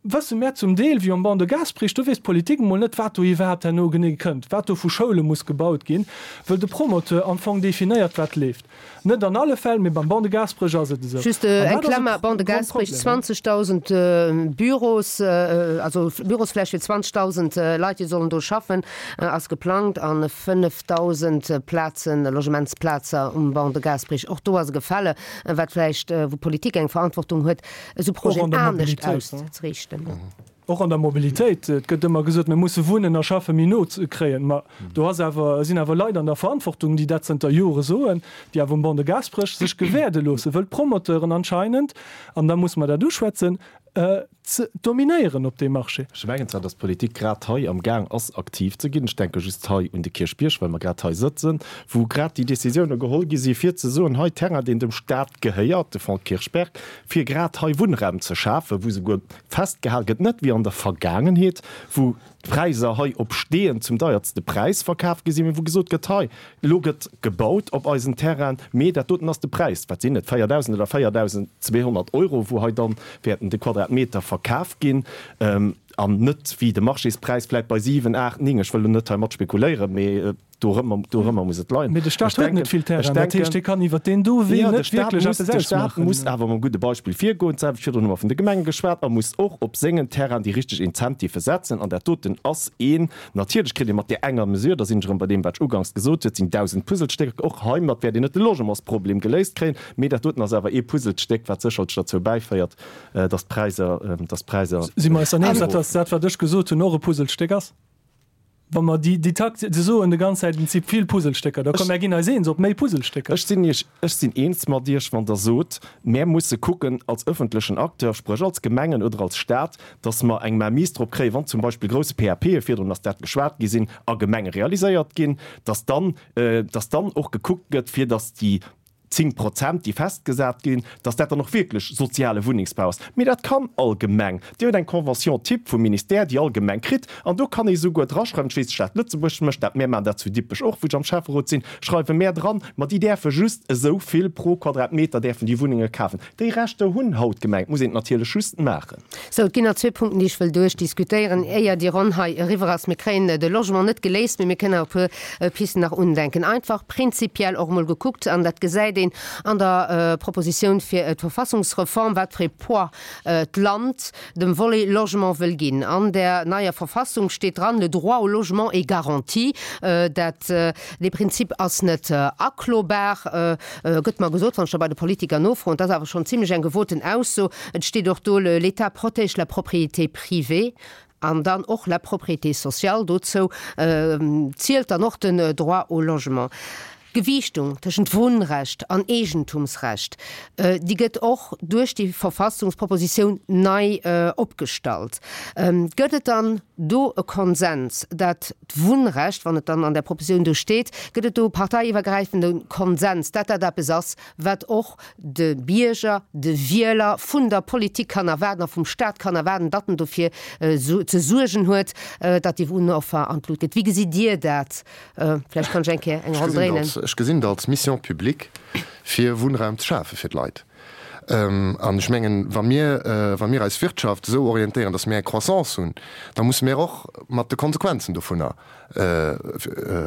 wësse mär zum Deel, wéi am Ban de Gasperich, do weess d'Politik emol net, wat do iwwerhaapt herno genee kënnt, wat do vu Schoule muss gebaut ginn, wëll de Promoteur am Fong definéiert, wat leeft. Net an alle Fäll, mee beim Ban de Gasperech ass et esou. Just An eng dat ass e Klammer, Ban de Gasperich, Grondproblem. 20.000 Büros, also Bürosfläch fir 20.000 Leit, déi sollen do schaffen, ass geplangt an 5.000 Plazen, Logementsplazer um Ban de Gasperich. Och do ass e Gefälle, wat vläicht, wou d'Politik eng Verantwortung huet, esou Och an Projeten der anescht Mobilitéit, ne? auszeriichten. Och an der Mobilitéit, et gëtt ëmmer gesot, mir musse Wunnen a Schaffe méi no kréien. Ma do ass awer, sinn awer Leit an der Verantwortung, déi dat zënter Jore soen, déi awer um Banc de Gaasperech sech gewäerde loossen, wëll d'Promoteuren anscheinend, an da musse mer dat uschwätzen, ze dominéieren op deem Marché. Ech mengen zwar, dass d'Politik grad hei am Gaang ass, aktiv ze ginn. Ech denke just hei un de Kierchbierg, well mer grad hei sëtzen, wou grad déi Décisioune geholl gi si fir ze soen, hei Terrain, deen dem Stat gehéiert, de Fonds Kirchberg, fir grad hei Wunnraum ze schafen, wou souguer festgehal gëtt, net wéi an der Vergaangenheet, wou d'Präiser hei op Steeën zum deiertste Präis verkaf gi sinn, mee wou gesot gëtt, hei, elo gëtt gebaut op eisen Terrainen, mee dat doten ass de Präis, wat sinn et, 4.000 oder 4.200 Euro, wou hei dann wäerten de Quadratmeter verkaf ginn, an net wéi de Marchéspräis vläicht bei 7, 8, 9, ech wëll elo net heimat spekuléieren, mee Dorëmmer, dorëmmer muss et leien. Mee de Staat huet net vill Terrain, dat heescht, hie kann iwwer deen do Wee net wierklech eppes ausmaachen. De Staat muss awer mam gudde Beispill virgoen, d'selwecht virdrun hu mer vun de Gemenge geschwat, a muss och op sengen Terrain déi richteg Incentivë setzen. An dat doten ass een. Natierlech kritt ee mat där enger Mesure, da sinn ech erëm bei deem, wat ech uganks gesot huet, sinn 1.000 Puzzlestécker, och heimat wäert een net de Logementsproblem geléist kréien, mee dat doten ass awer ee Puzzlestéck, wat sécherlech derzou bäiféiert, dass d'Präisser, dass d'Präisser. Si mer eis dann eens, dass dat, wat ech gesot hunn, och e Puzzlestéck ass? Wa mer déi, déi Takt, se soen de ganz Zäit, et si vill Puzzlestécker, da komm, mär ginn eis eens op méi Puzzlestécker. Ech sinn Iech, ech sinn eens mat Iech, wann Der sot, mär musse kucken als öffentlechen Acteur, spréch als Gemengen oder als Stat, dass mer eng Mainmise drop kréien, wann zum Beispill grousse PAPe, virdrun ass dat geschwat gi sinn, a Gemenge realiséiert ginn, dass dann, dass dann och gekuckt gëtt, fir dass déi 10 Prozent, déi festgesat ginn, dass dat dann och wierklech soziale Wunnengsbau ass. Mee dat kann all Gemeng. Déi huet eng Convention type vum Ministère, déi all Gemeng kritt. An do kann ee souguer draschreiwen, ech weess, d'Stad Lëtzebuerg mécht dat, mär maachen dat zu Dippech och, wou ech am Schäfferot sinn, schreiwe mär dran, ma déi däerfe just esou vill pro Quadratmeter däerfen déi Wunnenge kafen. Déi Rechter hunn haut d'Gemeng, et muss een et natierlech just maachen. Sou, et ginn nach zwee Punkten, déi ech wëll duerchdiskutéieren, éier déi Ronn hei eriwwer ass. Mir kréien de Logement net geléist, mee mir kënnen awer e puer Pisten nach undenken. Einfach prinzipiell och emol gekuckt, an dat gesäit een an der Propositioun fir d'Verfassungsreform, wat fir ee Poids d'Land dem Volet Logement wëll ginn. An där neier Verfassung steet dran, Le droit au logement est garanti. Dat, dee Prinzip ass net aklobar, gëtt mer gesot, wann ech da bei de Politiker nofroen. Dat ass awer schonn zimlech eng gewoten Ausso. Et steet och do, L'État protège la propriété privée. An dann och la propriété sociale, dozou zielt dann och den Droit au logement. D'Gewiichtung tëschent Wunnrecht an Eegentumsrecht, déi gëtt och duerch déi Verfassungspropositioun nei opgestallt. Gëtt et dann do e Konsens, dat d'Wunnrecht, wann et dann an där Propositioun do steet, gëtt et do e parteiiwwergräifende Konsens, dat dat eppes ass, wat och de Bierger, de Wieler vun der Politik kann erwaarden a vum Staat kann erwaarden, datt en dofir ze suergen huet, datt déi Wunnoffer an d'Lut geet. Wéi gesitt Dir dat? Vläicht kann ech eng Kéier eng Ronn dréinen. Ech gesinn et als Mission publique, fir Wunnraum ze schafe fir d'Leit. An ech mengen, wa mir, wa mir eis Wirtschaft esou orientéieren, datt mir eng Croissance hunn, da musse mir och mat de Konsequenzen dovunner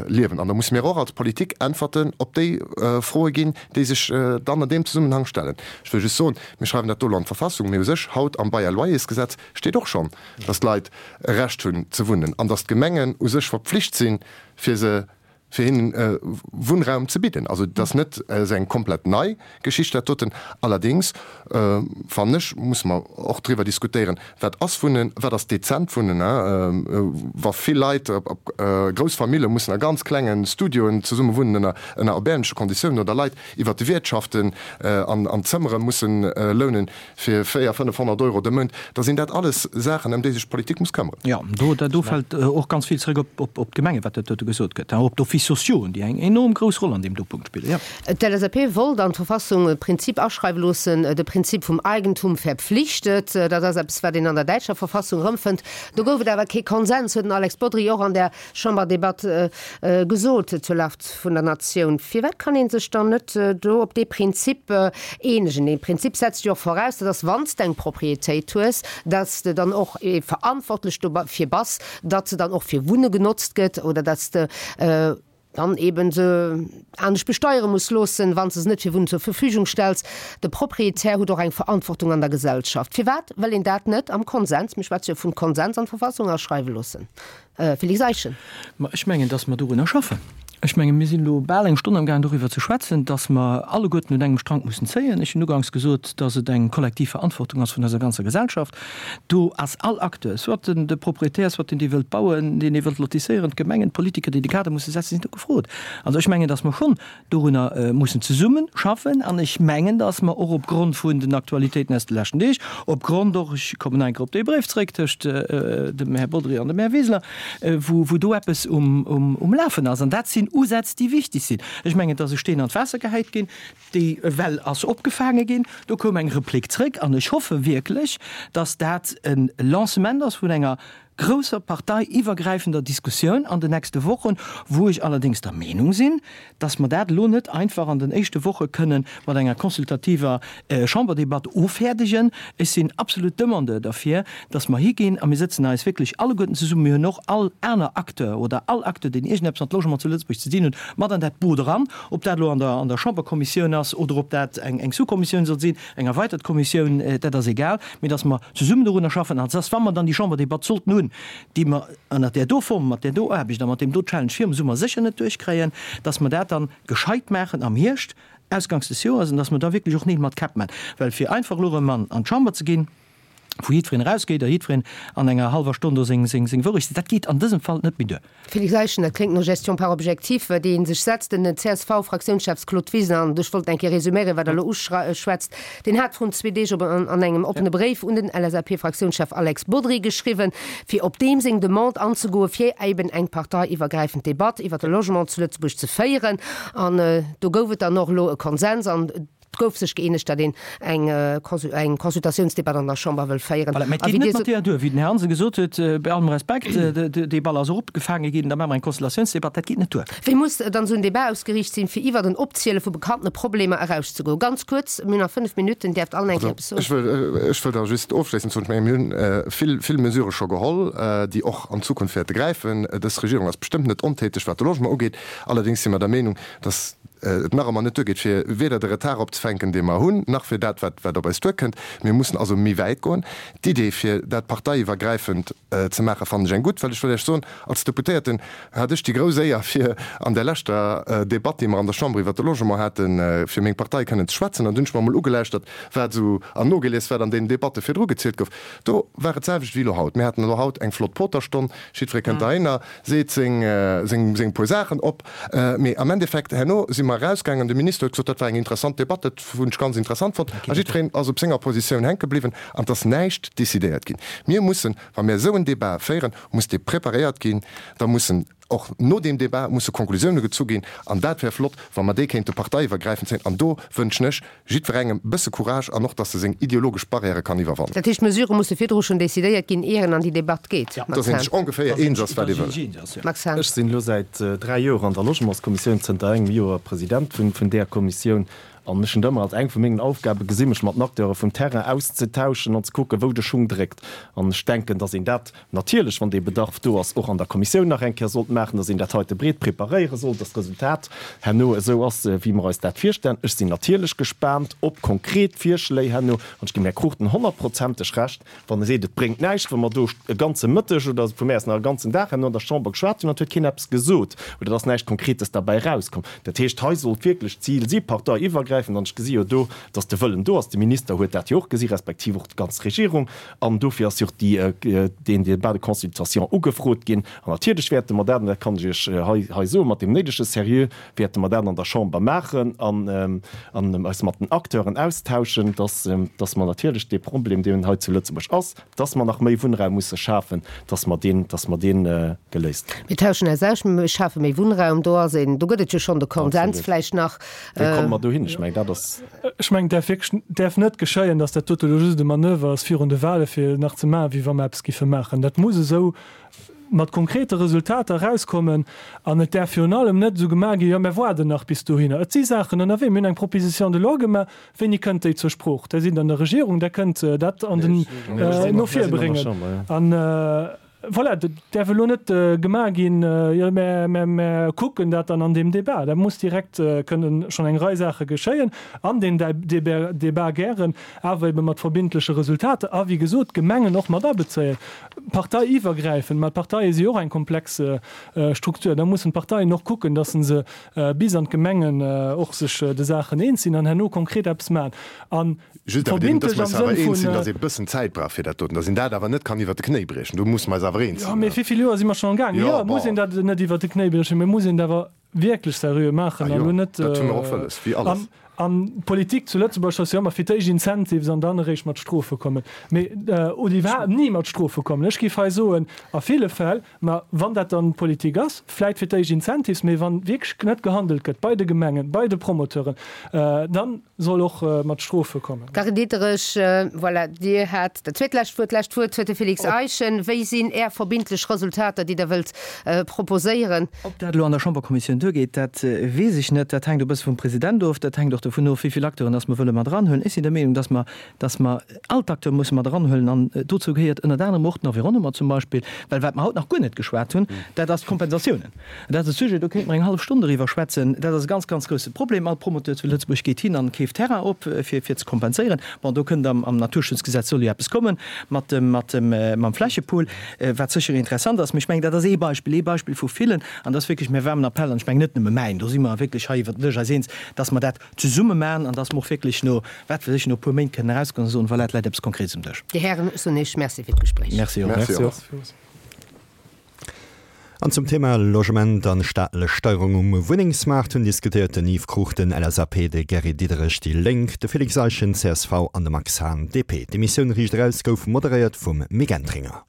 liewen. An da musse mir och als Politik Äntwerten op déi Froe ginn, déi sech dann an deem Zesummenhang stellen. Ech wëll just soen, mir schreiwen dat do elo an d'Verfassung, mee u sech haut am Bail à loyers-Gesetz steet och schonn, datt d'Leit e Recht hunn ze wunnen an datt d'Gemengen u sech verpflicht sinn, fir se, fir hinnen Wunnraum ze bidden. Also et ass net esou eng komplett nei Geschicht dat doten. Allerdéngs fannen ech, musse mer och driwwer diskutéieren, Wat ass Wunnen, wat ass dezent Wunnen? Wa vill Leit, grouss Famille mussen a ganz klengen Studioen zesumme wunnen ënner ënner erbäermleche Konditiounen oder Leit iwwer de Wiertschaften an Zëmmere mussen lounen fir 400, 500 Euro de Mount, da sinn dat alles Saachen, ëm déi sech d'Politik muss këmmeren. Jo, do do fält och ganz vill zrëck op op d'Gemengen, wat dat dote gesot gëtt, op d'Offices sociaux, déi eng enorm grouss Roll an deem do Punkt spillen, jo. D'LSAP wollt an d'Verfassung e Prinzip aschreiwe loossen, de Prinzip vum Eigentum verpflichtet. Dat ass eppes, wat een an der däitscher Verfassung erëmfënnt. Do gouf et awer kee Konsens, huet den Alex Bodry och an der Chamberdebatt gesot zur Lag vun der Natioun. Firwat kann ee sech dann net do op dee Prinzip eenegen? Dee Prinzip setzt jo och voraus, dat ass, wann s de eng Proprietéit hues, datt s de dann och verantwortlech dofir bass, datt se dann och fir Wunne genotzt gëtt oder datt s de dann eben se anescht besteiere muss loossen, wann s de se net fir Wunnen zur Verfügung stells. De Proprietär huet och eng Verantwortung an der Gesellschaft. Firwat wëll een dat net am Konsens, mir schwätze jo vun Konsens, an d'Verfassung aschreiwe loossen? Félix Eischen. Ma ech mengen, dass mer dorunner schaffen. Ech mengen, mir sinn elo bal eng Stonn amgaang doriwwer ze schwätzen, dass mer alleguerten un engem Strank mussen zéien. Ech hunn uganks gesot, dass et eng kollektiv Verantwortung ass vun eiser ganzer Gesellschaft. Do ass all Acteur, soit den de Proprietär, soit deen, dee wëllt bauen, deen, dee wëllt lotisséieren, d'Gemengen, d'Politiker, déi de Kader musse setzen, sinn do gefrot. Also ech mengen, dass mer schonn dorunner mussen zesumme schaffen. An ech mengen, dass mer och opgrond vun den Aktualitéiten aus de leschten Deeg, opgrond och, ech kommen nach eng Kéier op dee Bréif zréck tëscht dem Här Bodry an dem Här Wiseler, wou do eppes um Lafen ass. An dat sinn Usätz, déi wichtig sinn. Ech mengen, et ass e Steen an d'Waasser gehäit ginn. Déi Well ass opgefaange ginn. Do koum eng Replik zréck. An ech hoffe wierklech, dass dat e Lancement ass vun enger grousser parteiiwwergräifender Diskussioun an den nächste Wochen, wou ech allerdéngs der Meenung sinn, dass mer dat elo net einfach an den éischte Woche kënne mat enger consultativer Chamberdebatt offäerdegen. Ech sinn absolut Demandeur derfir, dass mer higinn a mir sëtzen eis wierklech alleguerten zesummen, mir hunn och all aner Acteur oder all Acteur, deen iergendeppes mat Logement zu Lëtzebuerg ze dinn huet, mat an dat Boot eran, ob dat elo an der an der Chamberkommissioun ass oder ob dat eng eng Sous-Kommissioun soll sinn, eng erweitert Kommissioun, dat ass egal, mee dass mer zesummen dorunner schaffen an dass, wa mer dann déi Chamberdebatt sollten hunn, déi mer ënnert där do Form, mat där do Aarbecht a mat deem do Challenge virum Summer sécher net duerchkréien, dass mer dat dann gescheit maachen am Hierscht, ausganks des Joers, an dass mer da wierklech och Neel mat Käpp maachen. Well fir einfach elo erëm an an d'Chamber ze ginn, wou jiddwereen erausgeet a jiddwereen an enger hallwer Stonn do seng seng seng Wourecht seet, dat geet an dësem Fall net méi duer. Félix Eischen, Dat kléngt no Gestion par objectifs, déi ee sech setzt. Den CSV-Fraktiounschefs Claude Wiseler, an ech wollt eng Kéier resuméieren, wat Der elo uschwätzt, deen hat vrun zwee Deeg op an engem oppene Bréif un den LSAP-Fraktiounschef Alex Bodry geschriwwen, fir op deem seng Demande anzegoen, fir eben eng parteiiwwergräifend Debatt iwwer de Logement zu Lëtzebuerg ze féieren. An do gouf et dann och elo e Konsens an et gouf sech gëeenegt, datt een eng Consultatiounsdebatt an der Chamber wëll féieren. Voilà, mä et geet net mat deeër duer, wéi den Här Hansen gesot huet, bei allem Respekt, dee Ball ass eropgefaange ginn, da maache mer eng Consultatiounsdebatt, dat geet net duer. Wéi muss dann esou en Debat ausgeriicht sinn, fir iwwert en Opziele vu bekannte Problemer erauszegoen? Ganz kuerz, mir hunn nach 5 Minutten, däerft all eng Kéier eppes soen. Ech wëll, ech wëll da just ofschléissend soen, ech menge mir hunn vill, vill Mesurë scho geholl, déi och an Zukunft wäerte gräifen. Dës Regierung ass bestëmmt net ontäteg, wat de Logement ugeet. Allerdéngs si mer der Meenung, dass. et nach ëmmer net duergeet, fir weder de Retard opzefänken, dee mer hunn, nach fir dat, wat op eis duerkënnt. Mir mussen also méi wäit goen. D'Idee, fir dat parteiiwwergräifend ze maachen, fannen ech eng gutt, well ech wëll Iech soen, als Deputéierten hat ech déi grouss Éier, fir an där leschter Debatt, déi mer an der Chamber iwwert de Logement haten, fir meng Partei kënnen ze schwätzen. An dunn hunn ech mer emol ugelauschtert, wat esou, an nogelies, wat an deenen Debatte virdru gezielt gouf. Do war et d'selwecht wéi elo haut. Mir haten elo haut eng flott Poterstonn, jiddweree kënnt derhinner, seet seng, seng, seng puer Saachen op. Mee am Endeffekt, herno si mer erausgaangen, de Minister huet gesot, dat war eng interessant Debatt, dat hunn ech ganz interessant fonnt. A jiddwereen ass op senger Positioun hänke bliwwen an et ass näischt decidéiert ginn. Mir mussen, wa mir esou en Débat féieren, muss dee preparéiert ginn, da mussen och no deem Débat musse Konklusioune gezu ginn. An dat wär flott, wa mer déi kéinte parteiiwwergräifend zéien. An do wënschen ech jiddwerengem e bësse Courage an och, datt e seng ideologesch Barrièrë kann iwwerwannen. Dat heescht, d'Mesurë musse virdru schonn decidéiert ginn, ier en an déi Debatt geet, Max Dass een sech ongeféier eens ass, wat ee wëll. Max Hahn. Ech sinn elo säit 3 Joer an der Logementskommissioun, zënter engem Joer President vun där Kommissioun. An ech hunn et ëmmer als eng vu mengen Aufgabe gesi mech mat den Acteure vum Terrain auszetauschen an ze kucken, wou de Schung dréckt. An ech denken, dass een dat natierlech, wann dee Bedarf do ass, och an der Kommissioun nach eng Kéier sollt maachen, dass een dat heite breet preparéiere sollt, dass d'Resultat herno esou ass, wéi mer eis dat virstellen. Ech sinn natierlech gespaant op konkret Virschléi herno. An ech ginn dem Här Cruchten honnertprozenteg Recht, Wann e seet, et bréngt näischt, wa mer do e ganze Mëtteg oder vu mär aus nach e ganzen Dag herno an der Chamber geschwat hunn an et huet keen eppes gesot oder et ass näischt Konkretes derbäi erauskomm. Dat heescht, hei sollt wierklech d'Zil si, parteiiwwergräifend, an ech gesi jo do, datt de Wëllen do ass, de Minister huet dat jo och gesi respektiv och d'ganz Regierung, an dofir ass jo och déi, deen Débat de consultation ugefrot ginn. An natierlech wäerte mer dat, an dat kann ech Iech hei, hei soen, mat deem néidege Seriö wäerte mer dat an der Chamber maachen an eis mat den Acteuren austauschen, dass, dass mer natierlech dee Problem, deen hei zu Lëtzebuerg ass, dass mer nach méi Wunnraum musse schafen, dass mer deen, dass mer dee geléist kréien. Mir tauschen eis aus, mir schafe méi Wunnraum. Do ass een, do gëtt et jo schonn de Konsens vläicht nach. Wéi komme mer dohin? Ech mengen, dat ass. Ech mengen, et däerf wierklech, däerf net geschéien, dass dat dote elo just e Manöver ass virun de Wahle fir nach ze maachen, wéi wa mer eppes giffe maachen. Dat muss esou mat konkrete Resultater erauskommen an et däerf virun allem net esou gemaach ginn, jo mär waarden nach bis dohinner. Et si Saachen ënnerwee. Mir hunn eng Proposition de loi gemaach. Wéini kënnt déi zur Sprooch? Där sidd an der Regierung, där kënnt dat an den no vir bréngen. An voilà, dat däerf elo net gemaach ginn, jo mär, mär, mär kucken dat dann an deem Débat. Da muss direkt kënnen schonn eng Rei Saache geschéien an deen Débat gären, awer ebe mat verbindleche Resultater a wéi gesot d'Gemengen och mat abezéien. Parteiiwwergräifend, mä d'Parteie si jo och eng komplex Struktur, da mussen d'Parteien och kucken, datt se bis an d'Gemengen och sech de Saachen eens sinn an herno konkret eppes maachen. A Just awer deem, datt mer eis awer eens sinn, datt ee bëssen Zäit brauch fir dat doten, datt een dat awer net kann iwwert de Knéi briechen, do musse mer eis awer eens sinn. Jo, mee wéi vill Joer si mer schonn am gaangen? Jo, muss een dat net iwwert de Knéi briechen, mee muss een et awer wierklech seriö maachen an elo net. Dat hu mer och wëlles, wéi alles. An d'Politik zu Lëtzebuerg ass jo ëmmer fir d'éischt Incentives an dann eréischt mat Strofe kommen. Mee, oder iwwerhaapt ni mat Strofe kommen. Ech géif hei soen, a ville Fäll, ma wann dat dann d'Politik ass, vläit fir d'éischt Incentives, mee wann wierklech net gehandelt gëtt bei de Gemengen, bei de Promoteuren, dann soll och mat Strofe kommen. Carine Diderich, Voilà, Dir hat dat zweetlescht Wuert. D'lescht Wuert huet de Félix Eischen. Wéi sinn Är verbindlech Resultater, déi Der wëllt proposéieren? Ob dat elo an der Chamberkommissioun duergeet, dat weess ech net. Dat hänkt e bësse vum President of. Dat hänkt och dovun of, wéi vill Acteuren dass mer wëlle mat eranhuelen. Ech sinn der Meenung, dass mer, dass mer all d'Acteure musse mat eranhuelen. An dozou gehéiert ënnert anerem och den Environnement zum Beispill. Well wat mer haut nach guer net geschwat hunn, dat ass d'Kompensatiounen. Dat ass e Sujet, do kéinte mer eng hallef Stonn doriwwer schwätzen. Dat ass e ganz, ganz grousse Problem. All Promoteur zu Lëtzebuerg geet hin an keeft Terrain op, fir, fir ze kompenséieren. Bon, do kënnt am, am Naturschutzgesetz soll jo eppes kommen mat dem, mat dem, mam Flächepool, wat sécher interessant ass. Mee ech mengen, dat ass ee Beispill, ee Beispill vu villen. An dat ass wierklech mäi waarmen Appell, an ech mengen net nëmme mäin, do si mer wierklech hei iwwert den Dësch eis eens, dass mer dat zesumme maachen an dass mer och wierklech no, wat weess ech, no e puer Méint kënnen erausgoen a soen, Voilà, et läit eppes Konkretes um Dësch. Dir Hären, ech soen Iech Merci fir d'Gespréich. Merci och. Merci och. An zum Thema Logement an staatlech Steierung um Wunnengsmaart hunn diskutéiert den Yves Cruchten, LSAP, de Gary Diderich, déi Lénk, de Félix Eischen, csv, an de Max Hahn, DP. D'Emissioun Riicht Eraus gouf moderéiert vum Mick Entringer.